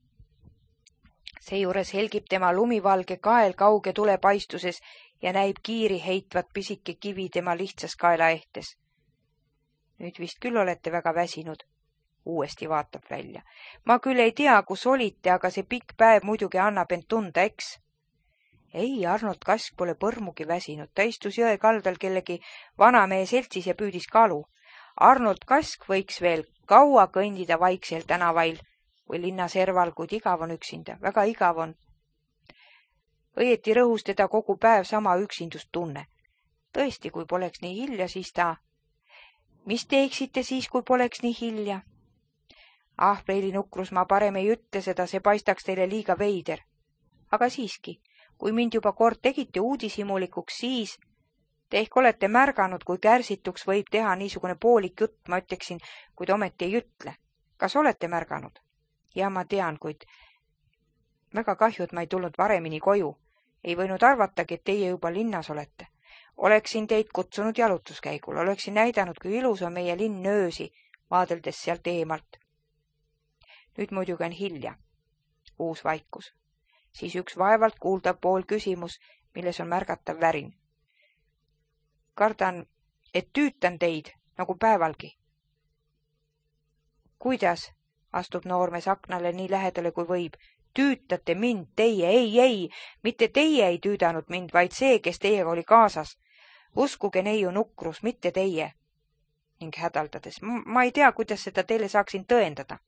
Seejuures helgib tema lumivalge kael kauge tulepaistuses ja näib kiiri heitvat pisike kivi tema lihtsas kaelaehtes. Nüüd vist küll olete väga väsinud. Uuesti vaatab välja. Ma küll ei tea, kus olite, aga see pikk päev muidugi annab end tunda, eks? Ei, Arnold Kask pole põrmugi väsinud. Ta istus jõe kaldal kellegi vanamehe seltsis ja püüdis kalu. Arnold Kask võiks veel kaua kõndida vaiksel tänavail või linna serval, kuid igav on üksinda. Väga igav on. Õieti rõhus teda kogu päev sama üksindust tunne. Tõesti, kui poleks nii hilja, siis ta... Mis teeksite siis, kui poleks nii hilja? Ah, preili nukrus, ma parem ei ütle seda, see paistaks teile liiga veider. Aga siiski, kui mind juba kord tegite uudishimulikuks, siis te ehk olete märganud, kui kärsituks võib teha niisugune poolik jutt, ma ütleksin, kuid ometi ei ütle. Kas olete märganud? Ja ma tean, kuid väga kahju, et ma ei tulnud varemini koju. Ei võinud arvatagi, et teie juba linnas olete. Oleksin teid kutsunud jalutuskäigul, oleksin näidanud, kui ilus on meie linn öösi, vaadeldes sealt eemalt. Nüüd muidugi on hilja. Uus vaikus. Siis üks vaevalt kuuldav pool küsimus, milles on märgatav värin. Kardan, et tüütan teid, nagu päevalgi. Kuidas? Astub noormees aknale nii lähedale kui võib. Tüütate mind, teie, ei, ei, mitte teie ei tüüdanud mind, vaid see, kes teiega oli kaasas. Uskuge neiu nukrus, mitte teie. Ning hädaldades, ma ei tea, kuidas seda teile saaksin tõendada.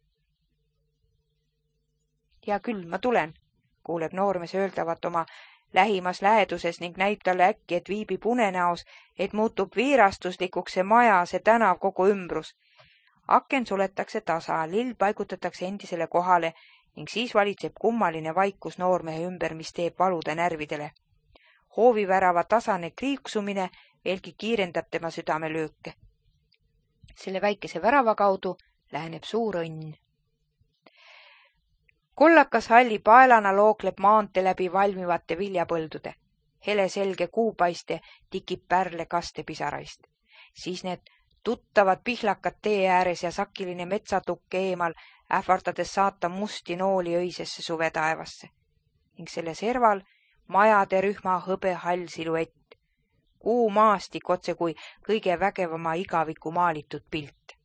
Ja küll, ma tulen, kuuleb noormees öeldavat oma lähimas läheduses ning näib talle äkki, et viibib unenäos, et muutub viirastuslikuks see maja, see tänav, kogu ümbrus. Aken suletakse tasa, lill paigutatakse endisele kohale ning siis valitseb kummaline vaikus noormehe ümber, mis teeb valuda närvidele. Hoovivärava tasane kriiksumine veelgi kiirendab tema südamelööke. Selle väikese värava kaudu läheneb suur õnn. Kollakas halli paelana lookleb maante läbi valmivate viljapõldude. Hele selge kuupaiste tikib pärle kastepisaraist. Siis need tuttavad pihlakad tee ääres ja sakiline metsatukk eemal, ähvardades saata musti nooli öisesse suvetaevasse. Ning selle serval majade rühma hõbe hall siluett. Kuu maastik otse kui kõige vägevama igaviku maalitud pilt.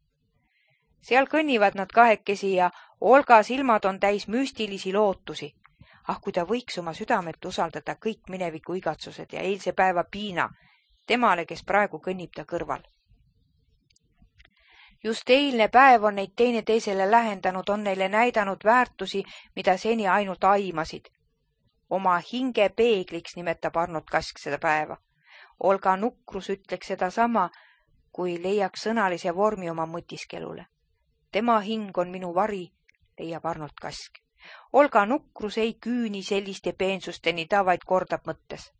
Seal kõnnivad nad kahekesi ja Olga silmad on täis müstilisi lootusi. Ah, kui ta võiks oma südamet usaldada kõik mineviku igatsused ja eilse päeva piina temale, kes praegu kõnnib ta kõrval. Just eilne päev on neid teineteisele lähendanud, on neile näidanud väärtusi, mida seni ainult aimasid. Oma hinge peegliks nimetab Arnold Kask seda päeva. Olga Nukrus ütleks seda sama, kui leiaks sõnalise vormi oma mõtiskelule. Tema hing on minu vari, leiab Arnold Kask. Olga Nukrus ei küüni selliste peensusteni, ta vaid kordab mõttes.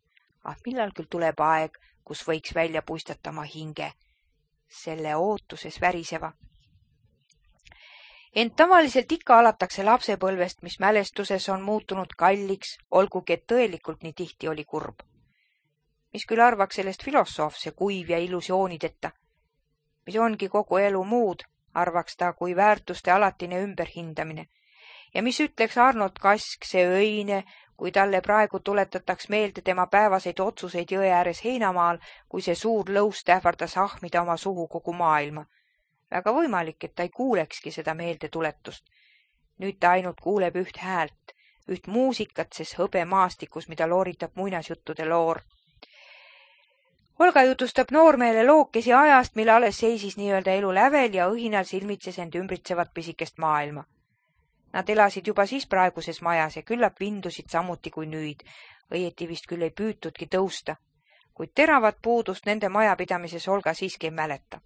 Ah, millal küll tuleb aeg, kus võiks välja puistata oma hinge, selle ootuses väriseva. Ent tavaliselt ikka alatakse lapsepõlvest, mis mälestuses on muutunud kalliks, olgugi et tõelikult nii tihti oli kurb. Mis küll arvaks sellest filosoof, see kuiv ja illusioonideta, mis ongi kogu elu muud, arvaks ta kui väärtuste alatine ümberhindamine. Ja mis ütleks Arnold Kask, see öine, kui talle praegu tuletataks meelde tema päevaseid otsuseid jõe ääres heinamaal, kui see suur lõust ähvardas ahmida oma suhu kogu maailma. Väga võimalik, et ta ei kuulekski seda meeldetuletust. Nüüd ta ainult kuuleb üht häält, üht muusikat, ses hõbe maastikus, mida looritab muinasjuttude loor. Olga jutustab noormeele lookesi ajast, mille alles seisis nii-öelda elu lävel ja õhinal silmitses end ümbritsevat pisikest maailma. Nad elasid juba siis praeguses majas ja küllap vindusid samuti kui nüüd, õieti vist küll ei püütudki tõusta, kuid teravat puudust nende majapidamises Olga siiski ei mäleta.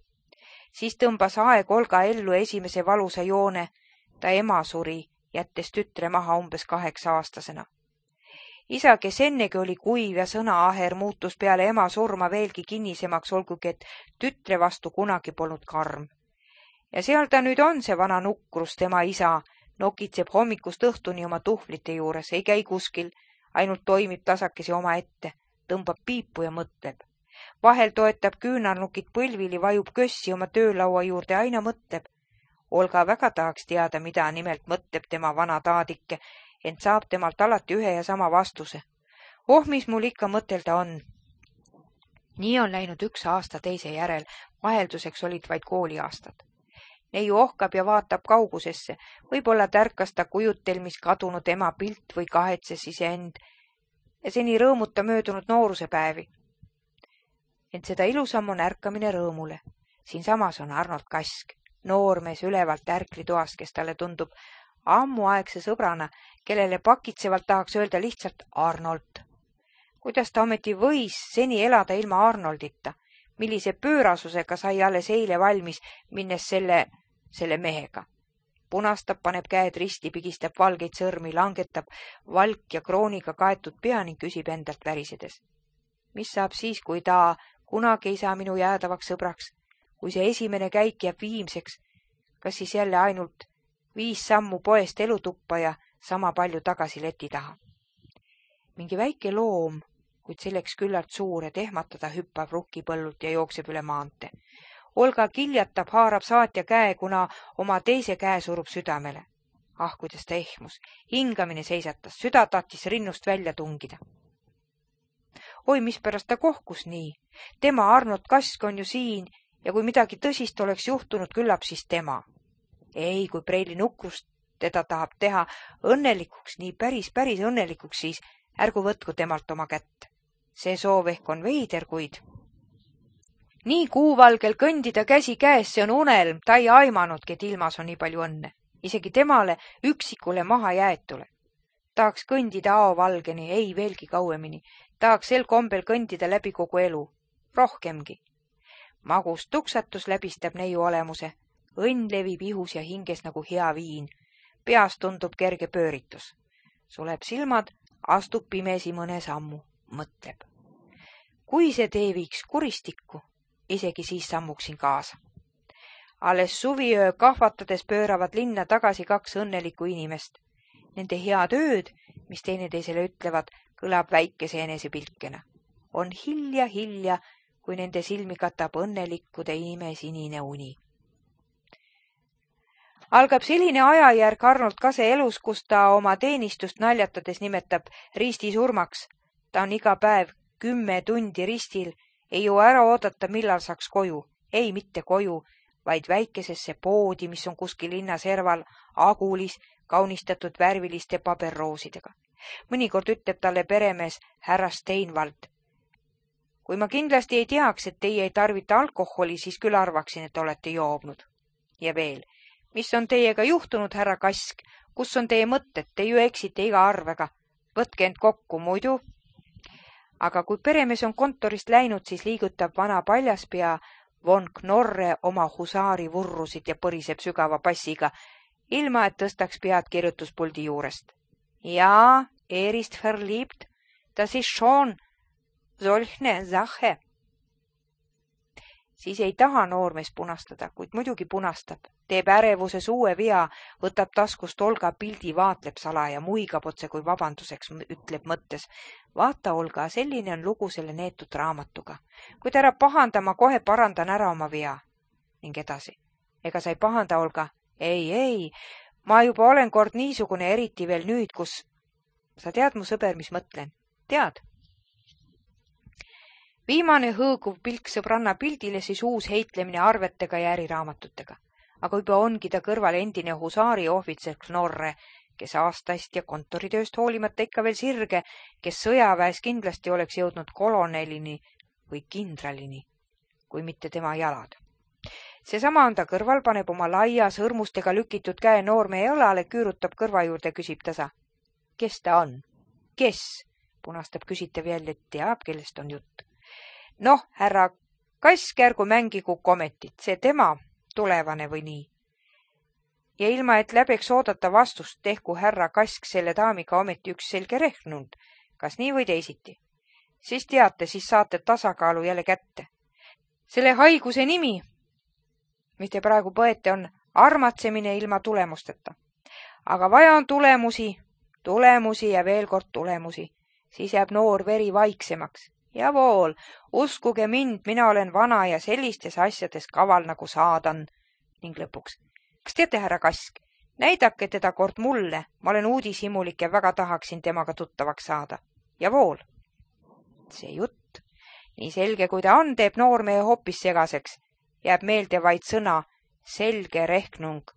Siis tõmbas aeg Olga ellu esimese valusa joone, ta ema suri, jättes tütre maha umbes kaheksa aastasena. Isa, kes ennegi oli kuiv ja sõnaaher, muutus peale ema surma veelgi kinnisemaks, olgugi et tütre vastu kunagi polnud karm. Ja seal ta nüüd on, see vana Nukrus, tema isa, nokitseb hommikust õhtuni oma tuhvlite juures, ei käi kuskil, ainult toimib tasakesi oma ette, tõmbab piipu ja mõtleb. Vahel toetab küünarnukid põlvili, vajub kössi oma töölaua juurde, aina mõtleb. Olga väga tahaks teada, mida nimelt mõtleb tema vana taadike, ent saab temalt alati ühe ja sama vastuse. Oh, mis mul ikka mõtelda on. Nii on läinud üks aasta teise järel, vahelduseks olid vaid kooliaastad. Neiu ohkab ja vaatab kaugusesse, võib-olla tärkas ta kujutelmis kadunud ema pilt või kahetses iseend ja seni rõõmuta möödunud nooruse päevi. Ent seda ilusam on ärkamine rõõmule. Siinsamas on Arnold Kask, noormees ülevalt ärklitoast, kes talle tundub ammuaegse sõbrana, kellele pakitsevalt tahaks öelda lihtsalt Arnold. Kuidas ta ometi võis seni elada ilma Arnoldita? Millise pöörasusega sai alles eile valmis, minnes selle, selle mehega? Punastab, paneb käed risti, pigistab valgeid sõrmi, langetab valk ja krooniga kaetud pea ning küsib endalt värisedes. Mis saab siis, kui ta kunagi ei saa minu jäädavaks sõbraks? Kui see esimene käik jääb viimseks, kas siis jälle ainult viis sammu poest elutuppa ja sama palju tagasi leti taha? Mingi väike loom, kuid selleks küllalt suur, et ehmatada, hüppab rukkipõllult ja jookseb üle maante. Olga kiljatab, haarab saatja käe, kuna oma teise käe surub südamele. Ah, kuidas ta ehmus. Hingamine seisatas, süda tahtis rinnust välja tungida. Oi, mispärast ta kohkus nii? Tema Arnold Kask on ju siin ja kui midagi tõsist oleks juhtunud, küllap siis tema. Ei, kui Preili Nukrust teda tahab teha õnnelikuks, nii päris, päris õnnelikuks, siis ärgu võtku temalt oma kätt. See soov ehk on veider, kuid nii kuuvalgel kõndida käsi käes, see on unelm, ta ei aimanudki, et ilmas on nii palju õnne. Isegi temale üksikule maha jäetule. Tahaks kõndida aovalgeni, ei veelgi kauemini. Tahaks sel kombel kõndida läbi kogu elu. Rohkemgi. Magus tuksatus läbistab neiu olemuse. Õnn levib ihus ja hinges nagu hea viin. Peas tundub kerge pööritus. Suleb silmad, astub pimesi mõne sammu. Mõtleb. Kui see tee viiks kuristikku, isegi siis sammuksin kaasa. Alles suviöö kahvatades pööravad linna tagasi kaks õnnelikku inimest. Nende head ööd, mis teineteisele ütlevad, kõlab väikese enesepilkena. On hilja, hilja, kui nende silmi katab õnnelikkude imesinine uni. Algab selline ajajärg Arnold Kase elus, kus ta oma teenistust naljatades nimetab risti surmaks. Ta on iga päev kümme tundi ristil, ei jõua ära oodata, millal saaks koju. Ei, mitte koju, vaid väikesesse poodi, mis on kuskil linna serval, agulis, kaunistatud värviliste paberroosidega. Mõnikord ütleb talle peremees härra Steinwald. Kui ma kindlasti ei teaks, et teie ei tarvita alkoholi, siis küll arvaksin, et olete joobnud. Ja veel, mis on teiega juhtunud, härra Kask? Kus on teie mõtted? Te ju eksite iga arvega. Võtke end kokku, muidu. Aga kui peremees on kontorist läinud, siis liigutab vana paljaspea von Knorre oma husaari vurrusid ja põriseb sügava passiga, ilma et tõstaks pead kirjutuspuldi juurest. Ja, er ist verliebt, das ist schon solchne Sache. Siis ei taha noormees punastada, kuid muidugi punastab. Teeb ärevuses uue vea, võtab taskust Olga pildi, vaatleb sala ja muigab otse kui vabanduseks, ütleb mõttes. Vaata, Olga, selline on lugu selle neetud raamatuga. Kui ta ära pahanda, ma kohe parandan ära oma vea. Ning edasi. Ega sa ei pahanda, Olga? Ei, ei, ma juba olen kord niisugune, eriti veel nüüd, kus... Sa tead, mu sõber, mis mõtlen? Tead? Viimane hõõguv pilk sõbranna pildile, siis uus heitlemine arvetega ja äriraamatutega. Aga juba ongi ta kõrval endine husaari ohvitser Knorre, kes aastast ja kontoritööst hoolimata ikka veel sirge, kes sõjaväes kindlasti oleks jõudnud kolonelini või kindralini, kui mitte tema jalad. Seesama on ta kõrval, paneb oma laia sõrmustega lükitud käe noorme jalale, küürutab kõrva juurde, küsib tasa. Kes ta on? Kes? Punastab küsitav jälle, teab, kellest on jutt. Noh, härra Kask, ärgu mängigu kometit, see tema tulevane või nii. Ja ilma, et läbeks oodata vastust, tehku härra Kask selle daamiga ometi üks selge rehnund, kas nii või teisiti. Siis teate, siis saate tasakaalu jälle kätte. Selle haiguse nimi, mis te praegu põete, on armatsemine ilma tulemusteta. Aga vaja on tulemusi, tulemusi ja veel kord tulemusi. Siis jääb noor veri vaiksemaks. Javool, uskuge mind, mina olen vana ja sellistes asjades kaval nagu saadan. Ning lõpuks. Kas teate, härra Kask, näidake teda kord mulle. Ma olen uudishimulik ja väga tahaksin temaga tuttavaks saada. Javool. See jutt. Nii selge, kui ta on, teeb noormehe hoopis segaseks. Jääb meelde vaid sõna selge rehnung.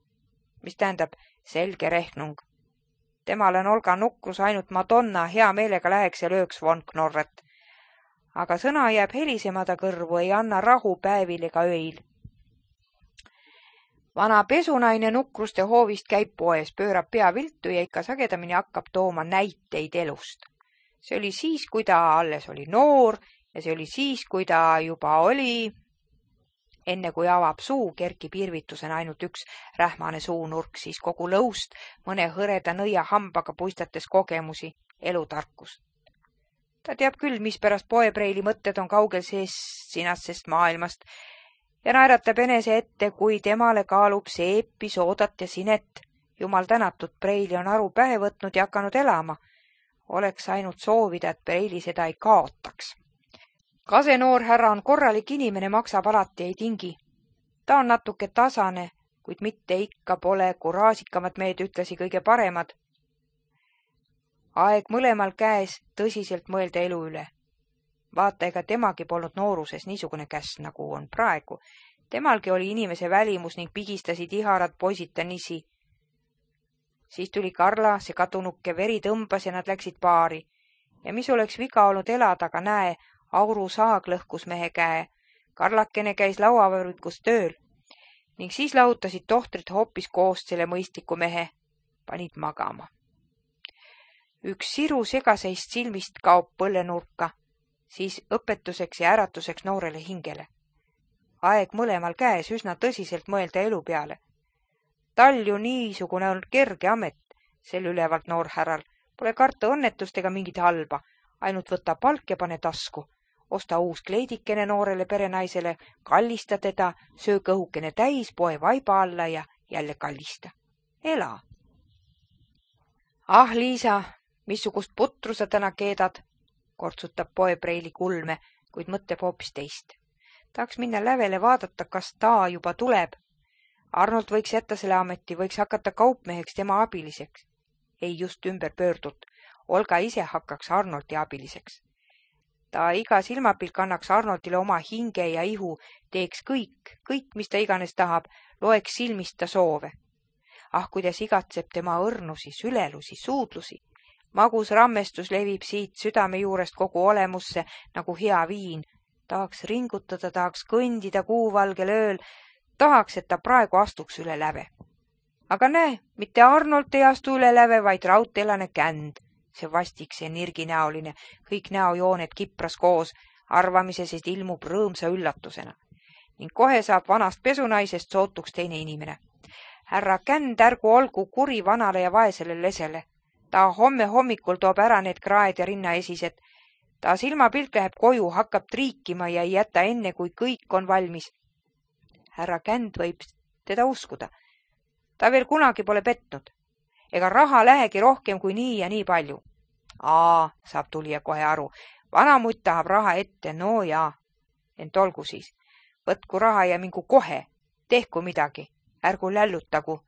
Mis tähendab selge rehnung? Temal on Olga nukrus ainult Madonna, hea meelega läheks ja lööks von Knorret. Aga sõna jääb helisemada kõrvu, ei anna rahu päevil ega öil. Vana pesunaine nukruste hoovist käib poes, pöörab pea viltu ja ikka sagedamini hakkab tooma näiteid elust. See oli siis, kui ta alles oli noor ja see oli siis, kui ta juba oli... Enne kui avab suu, kerkib irvitusena ainult üks rähmane suunurk, siis kogu lõust mõne hõreda nõia hambaga puistates kogemusi, elutarkust. Ta teab küll, mis pärast poepreili mõtted on kaugel sees sinasest maailmast ja naeratab enese ette, kui temale kaalub seepi, soodat ja sinet. Jumal tänatud, preili on aru pähe võtnud ja hakanud elama. Oleks ainult soovida, et preili seda ei kaotaks. Kase noor härra on korralik inimene, maksab alati ei tingi. Ta on natuke tasane, kuid mitte ikka pole kuraasikamad mehed ütlesi kõige paremad. Aeg mõlemal käes tõsiselt mõelda elu üle. Vaata, ega temagi polnud nooruses niisugune käs, nagu on praegu. Temalgi oli inimese välimus ning pigistasid iharad poisita nisi. Siis tuli Karla, see kadunukke, veri tõmbas ja nad läksid paari. Ja mis oleks viga olnud elada, aga näe, auru saag lõhkus mehe käe. Karlakene käis lauavõrvikus tööl ning siis lahutasid tohtrid hoopis koos selle mõistliku mehe. Panid magama. Üks siru segaseist silmist kaob põllenurka, siis õpetuseks ja äratuseks noorele hingele. Aeg mõlemal käes üsna tõsiselt mõelda elu peale. Tal ju niisugune on kerge amet, sel ülevalt noor härral. Pole karta õnnetust ega mingit halba, ainult võta palk ja pane tasku. Osta uus kleidikene noorele perenaisele, kallista teda, söö kõhukene täis, poe vaiba alla ja jälle kallista. Ela! Ah, Liisa, missugust putru sa täna keedad, kortsutab poepreili kulme, kuid mõtleb hoopis teist. Tahaks minna lävele vaadata, kas ta juba tuleb. Arnold võiks jätta selle ameti, võiks hakata kaupmeheks tema abiliseks. Ei just ümber pöördult. Olga ise hakkaks Arnoldi abiliseks. Ta iga silmapilk annaks Arnoldile oma hinge ja ihu, teeks kõik, kõik, mis ta iganes tahab, loeks silmist ta soove. Ah, kuidas igatseb tema õrnusi, sülelusi, suudlusi. Magus rammestus levib siit südame juurest kogu olemusse nagu hea viin. Tahaks ringutada, tahaks kõndida kuuvalgel ööl, tahaks, et ta praegu astuks üle läve. Aga näe, mitte Arnold ei astu üle läve, vaid raudteelane Känd. See vastik, see nirginäoline, kõik näojooned kipras koos, arvamises, et ilmub rõõmsa üllatusena. Ning kohe saab vanast pesunaisest sootuks teine inimene. Härra Känd ärgu olgu kuri vanale ja vaesele lesele. Ta homme hommikul toob ära need kraed ja rinnaesised. Ta silmapilk läheb koju, hakkab triikima ja ei jäta enne, kui kõik on valmis. Härra Känd võib teda uskuda. Ta veel kunagi pole petnud. Ega raha lähegi rohkem kui nii ja nii palju. Aa, saab tulija kohe aru. Vanamutt tahab raha ette, no jaa. Ent olgu siis. Võtku raha ja mingu kohe. Tehku midagi. Ärgu lällutagu.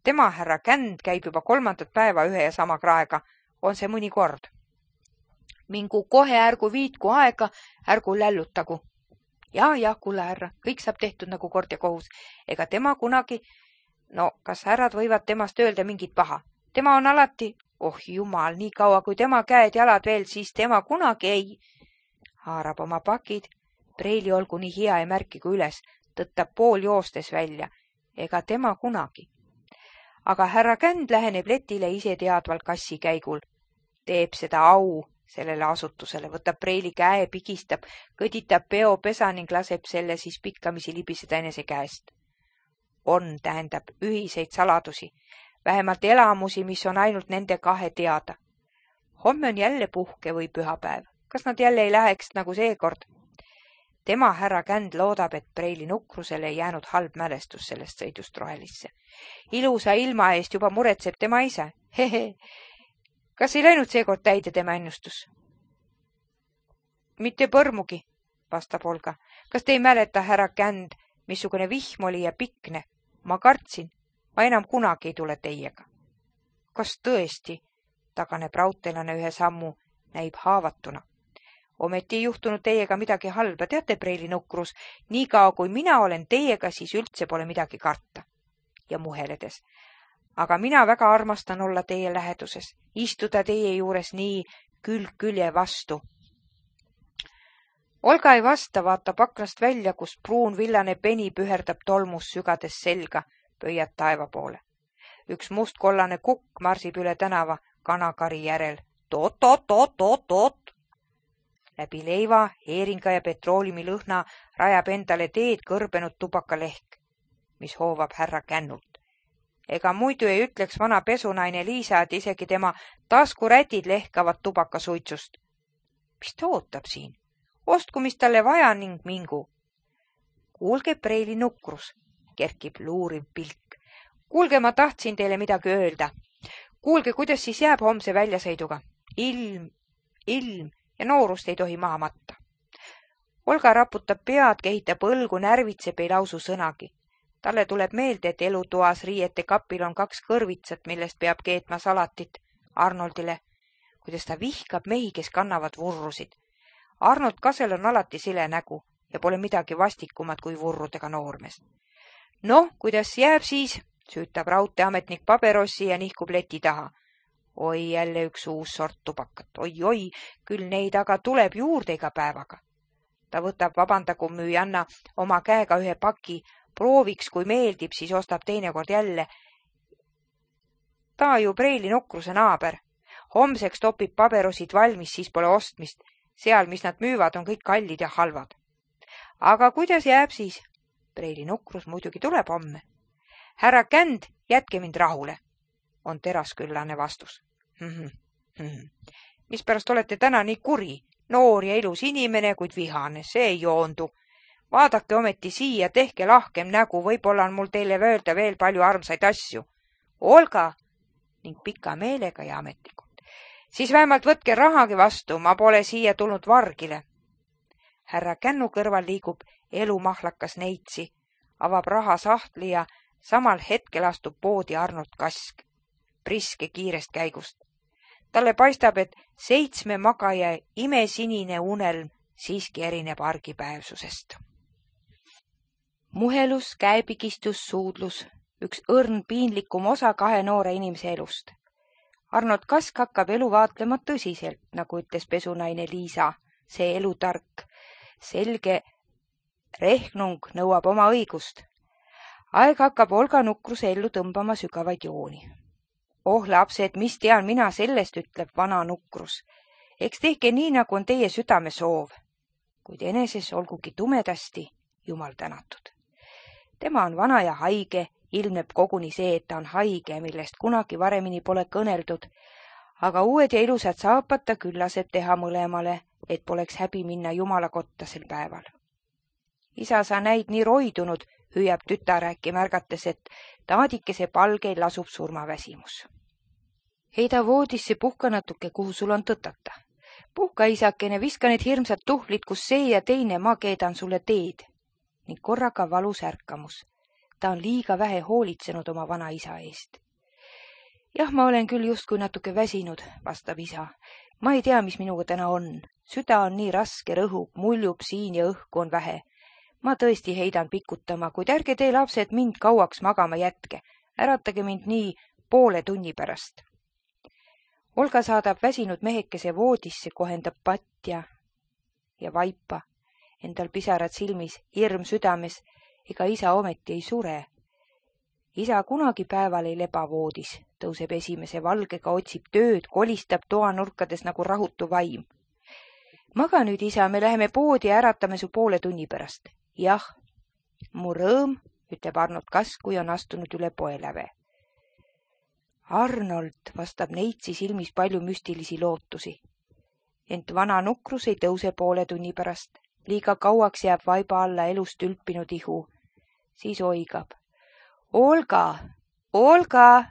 Tema härra Känd käib juba kolmandat päeva ühe ja sama kraega. On see mõni kord. Mingu kohe, ärgu viitku aega, ärgu lällutagu. Ja, ja, kuule härra, kõik saab tehtud nagu kord ja kohus. Ega tema kunagi... No, kas härrad võivad temast öelda mingit paha? Tema on alati, oh jumal, nii kaua kui tema käed jalad veel, siis tema kunagi ei. Haarab oma pakid, preili olgu nii hea ja märkigu üles, tõttab pool joostes välja, ega tema kunagi. Aga härra Känd läheneb letile ise teadvalt kassi käigul. Teeb seda au sellele asutusele, võtab preili käe, pigistab, kõditab peopesa ning laseb selle siis pikkamisi libiseda enese käest. On, tähendab, ühiseid saladusi, vähemalt elamusi, mis on ainult nende kahe teada. Homme on jälle puhke või pühapäev. Kas nad jälle ei läheks nagu seekord? Tema härra Känd loodab, et preili nukrusele ei jäänud halb mälestus sellest sõidust rohelisse. Ilusa ilma eest juba muretseb tema ise. Hehe. Kas ei läinud seekord täide tema ennustus? Mitte põrmugi, vastab Olga. Kas te ei mäleta, härra Känd, missugune vihm oli ja pikne? Ma kartsin, ma enam kunagi ei tule teiega. Kas tõesti? Taganeb raudteelane ühe sammu, näib haavatuna. Ometi ei juhtunud teiega midagi halba, teate, preili nukrus, nii kao kui mina olen teiega, siis üldse pole midagi karta. Ja muheledes. Aga mina väga armastan olla teie läheduses, istuda teie juures nii külg külje vastu. Olga ei vasta, vaatab aknast välja, kus pruun villane peni püherdab tolmus sügades selga, pöiad taeva poole. Üks mustkollane kukk marsib üle tänava kanakari järel. Toot, toot, toot, toot, toot. Läbi leiva, heeringa ja petrooliumi lõhna rajab endale teed kõrbenud tubakalehk, mis hoovab härra Kännult. Ega muidu ei ütleks vana pesunaine Liisa, et isegi tema taskurätid lehkavad tubakasuitsust. Mis ta ootab siin? Ostku, mis talle vaja ning mingu. Kuulge, preili nukrus, kerkib luuriv pilk. Kuulge, ma tahtsin teile midagi öelda. Kuulge, kuidas siis jääb homse väljasõiduga. Ilm, ilm ja noorust ei tohi maha matta. Olga raputab pead, kehitab õlgu, närvitseb, ei lausu sõnagi. Talle tuleb meelde, et elutoas riiete kapil on kaks kõrvitsat, millest peab keetma salatit Arnoldile, kuidas ta vihkab mehi, kes kannavad vurrusid. Arnold Kasel on alati sile nägu ja pole midagi vastikumat kui vurrudega noormes. Noh, kuidas jääb siis, süütab raudteeametnik paberossi ja nihkub leti taha. Oi, jälle üks uus sort tubakat. Oi, oi, küll neid aga tuleb juurde iga päevaga. Ta võtab vabandagu müüjanna oma käega ühe paki, prooviks, kui meeldib, siis ostab teinekord jälle. Ta ju preili nukruse naaber. Homseks topib paberosid valmis, siis pole ostmist. Seal, mis nad müüvad, on kõik kallid ja halvad. Aga kuidas jääb siis? Preili nukrus muidugi tuleb homme. Härra Känd, jätke mind rahule, on terasküllane vastus. Hmm, hmm. Mispärast olete täna nii kuri? Noor ja ilus inimene, kuid vihane, see ei joondu. Vaadake ometi siia, tehke lahkem nägu, võib-olla on mul teile öelda veel palju armsaid asju. Olga, ning pika meelega ja ametlikult. Siis vähemalt võtke rahagi vastu, ma pole siia tulnud vargile. Härra Kännu kõrval liigub elumahlakas neitsi, avab rahasahtli ja samal hetkel astub poodi Arnold Kask, priske kiirest käigust. Talle paistab, et seitsme magaja imesinine unelm siiski erineb argipäevsusest. Muhelus, käepigistus, suudlus, üks õrn piinlikum osa kahe noore inimese elust. Arnold Kask hakkab elu vaatlema tõsiselt, nagu ütles pesunaine Liisa. See elutark, selge rehnung nõuab oma õigust. Aeg hakkab Olga nukruse ellu tõmbama sügavaid jooni. Oh lapsed, mis tean mina sellest, ütleb vana nukrus. Eks tehke nii, nagu on teie südame soov. Kuid eneses olgugi tumedasti, jumal tänatud. Tema on vana ja haige, ilmneb koguni see, et ta on haige, millest kunagi varemini pole kõneldud, aga uued ja ilusad saapad ta küllased teha mõlemale, et poleks häbi minna jumala kotta sel päeval. Isa, sa näid nii roidunud, hüüab tütar äkki märgates, et taadikese palgeil lasub surmaväsimus. Heida voodisse, puhka natuke, kuhu sul on tõtata. Puhka, isakene, viska need hirmsad tuhlid, kus see ja teine, ma keedan sulle teed. Ning korraga valus ärkamus. Ta on liiga vähe hoolitsenud oma vana isa eest. Jah, ma olen küll justkui natuke väsinud, vastab isa. Ma ei tea, mis minuga täna on. Süda on nii raske, rõhub, muljub siin ja õhku on vähe. Ma tõesti heidan pikutama, kuid ärge tee lapsed mind kauaks magama jätke. Äratage mind nii poole tunni pärast. Olga saadab väsinud mehekese voodisse, kohendab patja ja vaipa. Endal pisarad silmis, hirm südames, ega isa ometi ei sure. Isa kunagi päeval ei leba voodis, tõuseb esimese valgega, otsib tööd, kolistab toanurkades nagu rahutu vaim. Maga nüüd, isa, me läheme poodi ja äratame su poole tunni pärast. Jah, mu rõõm, ütleb Arnold Kask, kui on astunud üle poeläve. Arnold, vastab neitsi silmis palju müstilisi lootusi. Ent vana nukrus ei tõuse poole tunni pärast. Liiga kauaks jääb vaiba alla elust ülpinud ihu. Siis oigab. Olga, Olga!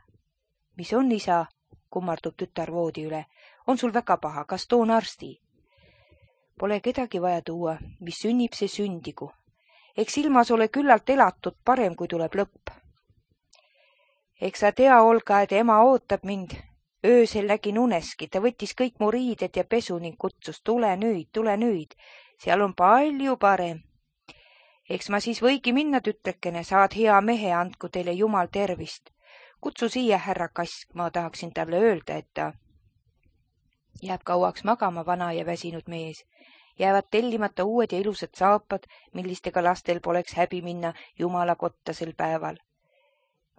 Mis on, isa? Kummardub tütar voodi üle. On sul väga paha, kas toon arsti? Pole kedagi vaja tuua, mis sünnib, see sündigu. Eks ilmas ole küllalt elatud, parem kui tuleb lõpp. Eks sa tea, Olga, et ema ootab mind. Öösel nägin uneski, ta võttis kõik mu riided ja pesu ning kutsus, tule nüüd, tule nüüd. Seal on palju parem. Eks ma siis võigi minna, tütrekene, saad hea mehe, andku teile jumal tervist. Kutsu siia, härra Kask, ma tahaksin talle öelda, et ta jääb kauaks magama vana ja väsinud mees. Jäävad tellimata uued ja ilusad saapad, millistega lastel poleks häbi minna jumala kotta sel päeval.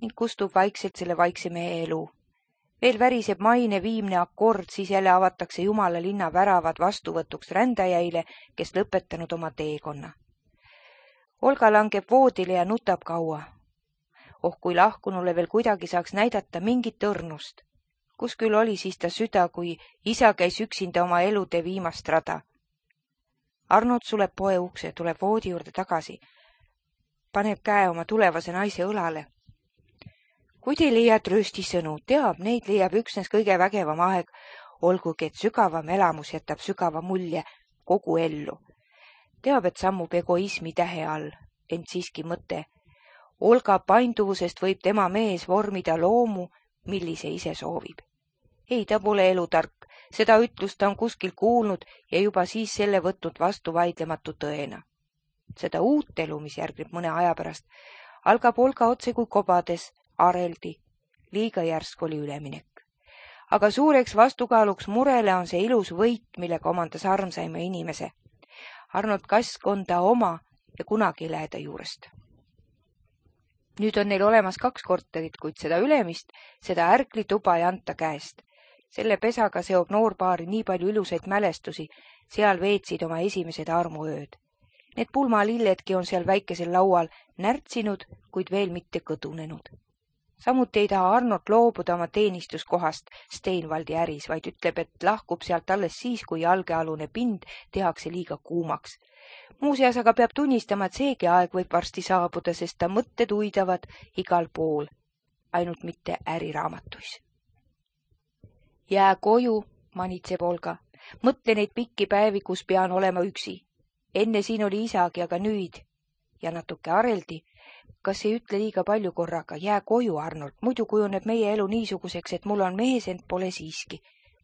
Ning kustub vaikselt selle vaikse mehe elu. Veel väriseb maine viimne akord, siis jälle avatakse jumala linna väravad vastuvõtuks rändajäile, kes lõpetanud oma teekonna. Olga langeb voodile ja nutab kaua. Oh, kui lahkunule veel kuidagi saaks näidata mingit õrnust. Kus küll oli siis ta süda, kui isa käis üksinda oma elude viimast rada. Arnold suleb poe ukse, tuleb voodi juurde tagasi. Paneb käe oma tulevase naise õlale. Kui te leiad rööstisõnu, teab, neid leiab üksnes kõige vägevam aeg, olgugi, et sügavam elamus jätab sügava mulje kogu ellu. Teab, et sammub egoismi tähe all, ent siiski mõte. Olga painduvusest võib tema mees vormida loomu, millise ise soovib. Ei, ta pole elutark, seda ütlust ta on kuskil kuulnud ja juba siis selle võtnud vastu vaidlematu tõena. Seda uut elu, mis järgneb mõne aja pärast, algab Olga otse kui kobades, areldi, liiga järsk oli üleminek. Aga suureks vastukaaluks murele on see ilus võit, millega omandas armsaima inimese. Arnold Kask on ta oma ja kunagi ei lähe ta juurest. Nüüd on neil olemas kaks korterit, kuid seda ülemist, seda ärklituba ei anta käest. Selle pesaga seob noorpaari nii palju ilusaid mälestusi, seal veetsid oma esimesed armuööd. Need pulmalilledki on seal väikesel laual närtsinud, kuid veel mitte kõdunenud. Samuti ei taha Arnold loobuda oma teenistuskohast Steinvaldi äris, vaid ütleb, et lahkub sealt alles siis, kui jalgealune pind tehakse liiga kuumaks. Muuseas aga peab tunnistama, et seegi aeg võib varsti saabuda, sest ta mõtted uidavad igal pool, ainult mitte äriraamatuis. Jää koju, manitseb Olga. Mõtle neid pikki päevi, kus pean olema üksi. Enne siin oli isagi, aga nüüd. Ja natuke areldi. Kas ei ütle liiga palju korraga? Jää koju, Arnold. Muidu kujuneb meie elu niisuguseks, et mul on mees, ent pole siiski.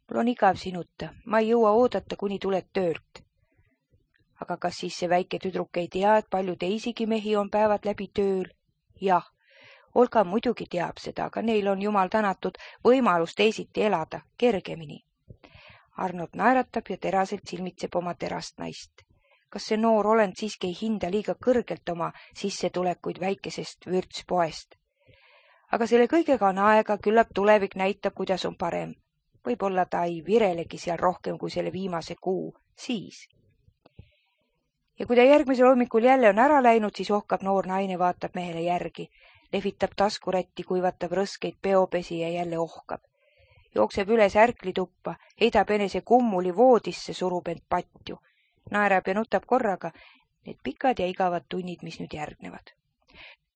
Mul on igav sinuta. Ma ei jõua oodata, kuni tuled töölt. Aga kas siis see väike tüdruk ei tea, et palju teisigi mehi on päevad läbi tööl? Jah. Olga muidugi teab seda, aga neil on jumal tänatud võimalus teisiti elada, kergemini. Arnold naeratab ja teraselt silmitseb oma terast naist. Kas see noor olend siiski ei hinda liiga kõrgelt oma sissetulekuid väikesest vürtspoest? Aga selle kõigega on aega, küllap tulevik näitab, kuidas on parem. Võib-olla ta ei virelegi seal rohkem kui selle viimase kuu, siis. Ja kui ta järgmisel hommikul jälle on ära läinud, siis ohkab noor naine, vaatab mehele järgi, lehvitab taskurätti, kuivatab rõskeid peopesi ja jälle ohkab. Jookseb üles ärklituppa, heidab enese kummuli voodisse, surub end patju. Naerab ja nutab korraga need pikad ja igavad tunnid, mis nüüd järgnevad.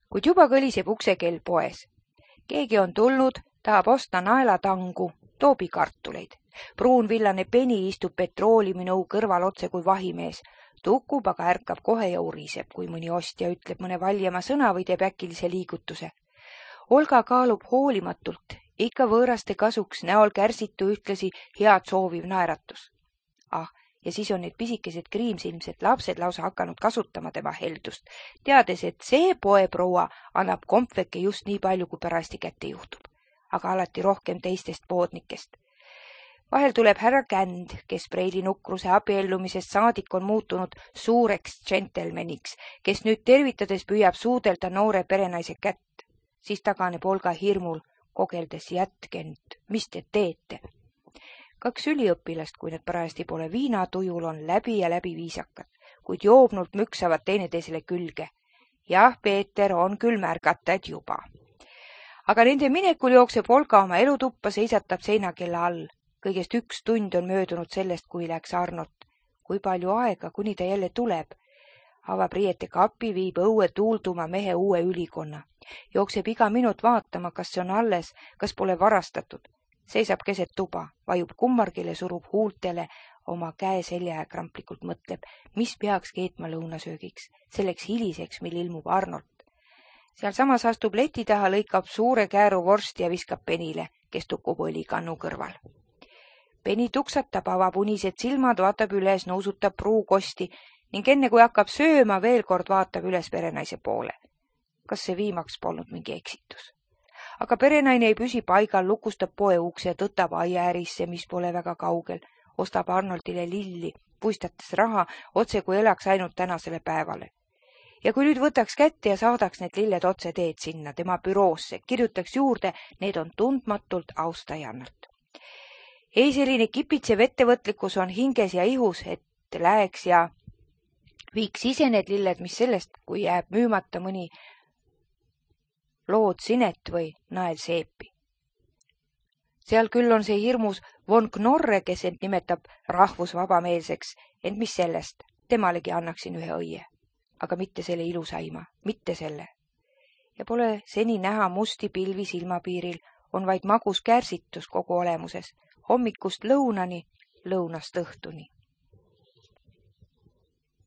Kuid juba kõliseb uksekell poes. Keegi on tulnud, tahab osta naelatangu, toobi kartuleid. Pruunvillane Peni istub petrooliuminõu kõrval otse kui vahimees. Tukub, aga ärkab kohe ja uriseb, kui mõni ostja ütleb mõne valjema sõna või teeb äkilise liigutuse. Olga kaalub hoolimatult, ikka võõraste kasuks, näol kärsitu ühtlasi head sooviv naeratus. Ah, ja siis on need pisikesed kriimsilmsed lapsed lausa hakanud kasutama tema heldust, teades, et see poeproua annab kompveke just nii palju, kui parasti kätte juhtub, aga alati rohkem teistest poodnikest. Vahel tuleb härra Känd, kes Preili nukruse abiellumisest saadik on muutunud suureks džentelmeniks, kes nüüd tervitades püüab suudelda noore perenaise kätt. Siis taganeb Olga hirmul, kogeldes jätke nüüd, mis te teete? Kaks üliõpilast, kui need parajasti pole viinatujul, on läbi ja läbi viisakad, kuid joobnult müksavad teineteisele külge. Jah, Peeter on küll märgata, et juba. Aga nende minekul jookseb Olga oma elutuppa, seisatab seinakella all. Kõigest üks tund on möödunud sellest, kui läks Arnold. Kui palju aega, kuni ta jälle tuleb. Avab riiete kapi, viib õue tuulduma mehe uue ülikonna. Jookseb iga minut vaatama, kas see on alles, kas pole varastatud. Seisab keset tuba, vajub kummargile, surub huultele, oma käe selja ja kramplikult mõtleb, mis peaks keetma lõunasöögiks, selleks hiliseks, mil ilmub Arnold. Seal samas astub leti taha, lõikab suure kääru vorsti ja viskab Penile, kes tukub õlikannu kõrval. Peni tuksatab, avab unised silmad, vaatab üles, nõusutab pruukosti ning enne kui hakkab sööma, veel kord vaatab üles perenaise poole. Kas see viimaks polnud mingi eksitus? Aga perenaine ei püsi paigal, lukustab poe ukse, tõtab aiaärisse, mis pole väga kaugel, ostab Arnoldile lilli, puistates raha, otse kui elaks ainult tänasele päevale. Ja kui nüüd võtaks kätte ja saadaks need lilled otse teed sinna, tema büroosse, kirjutaks juurde, need on tundmatult austajannalt. Ei, selline kipitsev ettevõtlikkus on hinges ja ihus, et läheks ja viiks ise need lilled, mis sellest, kui jääb müümata mõni lood sinet või nael seepi. Seal küll on see hirmus von Knorre, kes end nimetab rahvusvabameelseks, ent mis sellest, temalegi annaksin ühe õie, aga mitte selle ilusaima, mitte selle. Ja pole seni näha musti pilvi silmapiiril, on vaid magus kärsitus kogu olemuses, hommikust lõunani, lõunast õhtuni.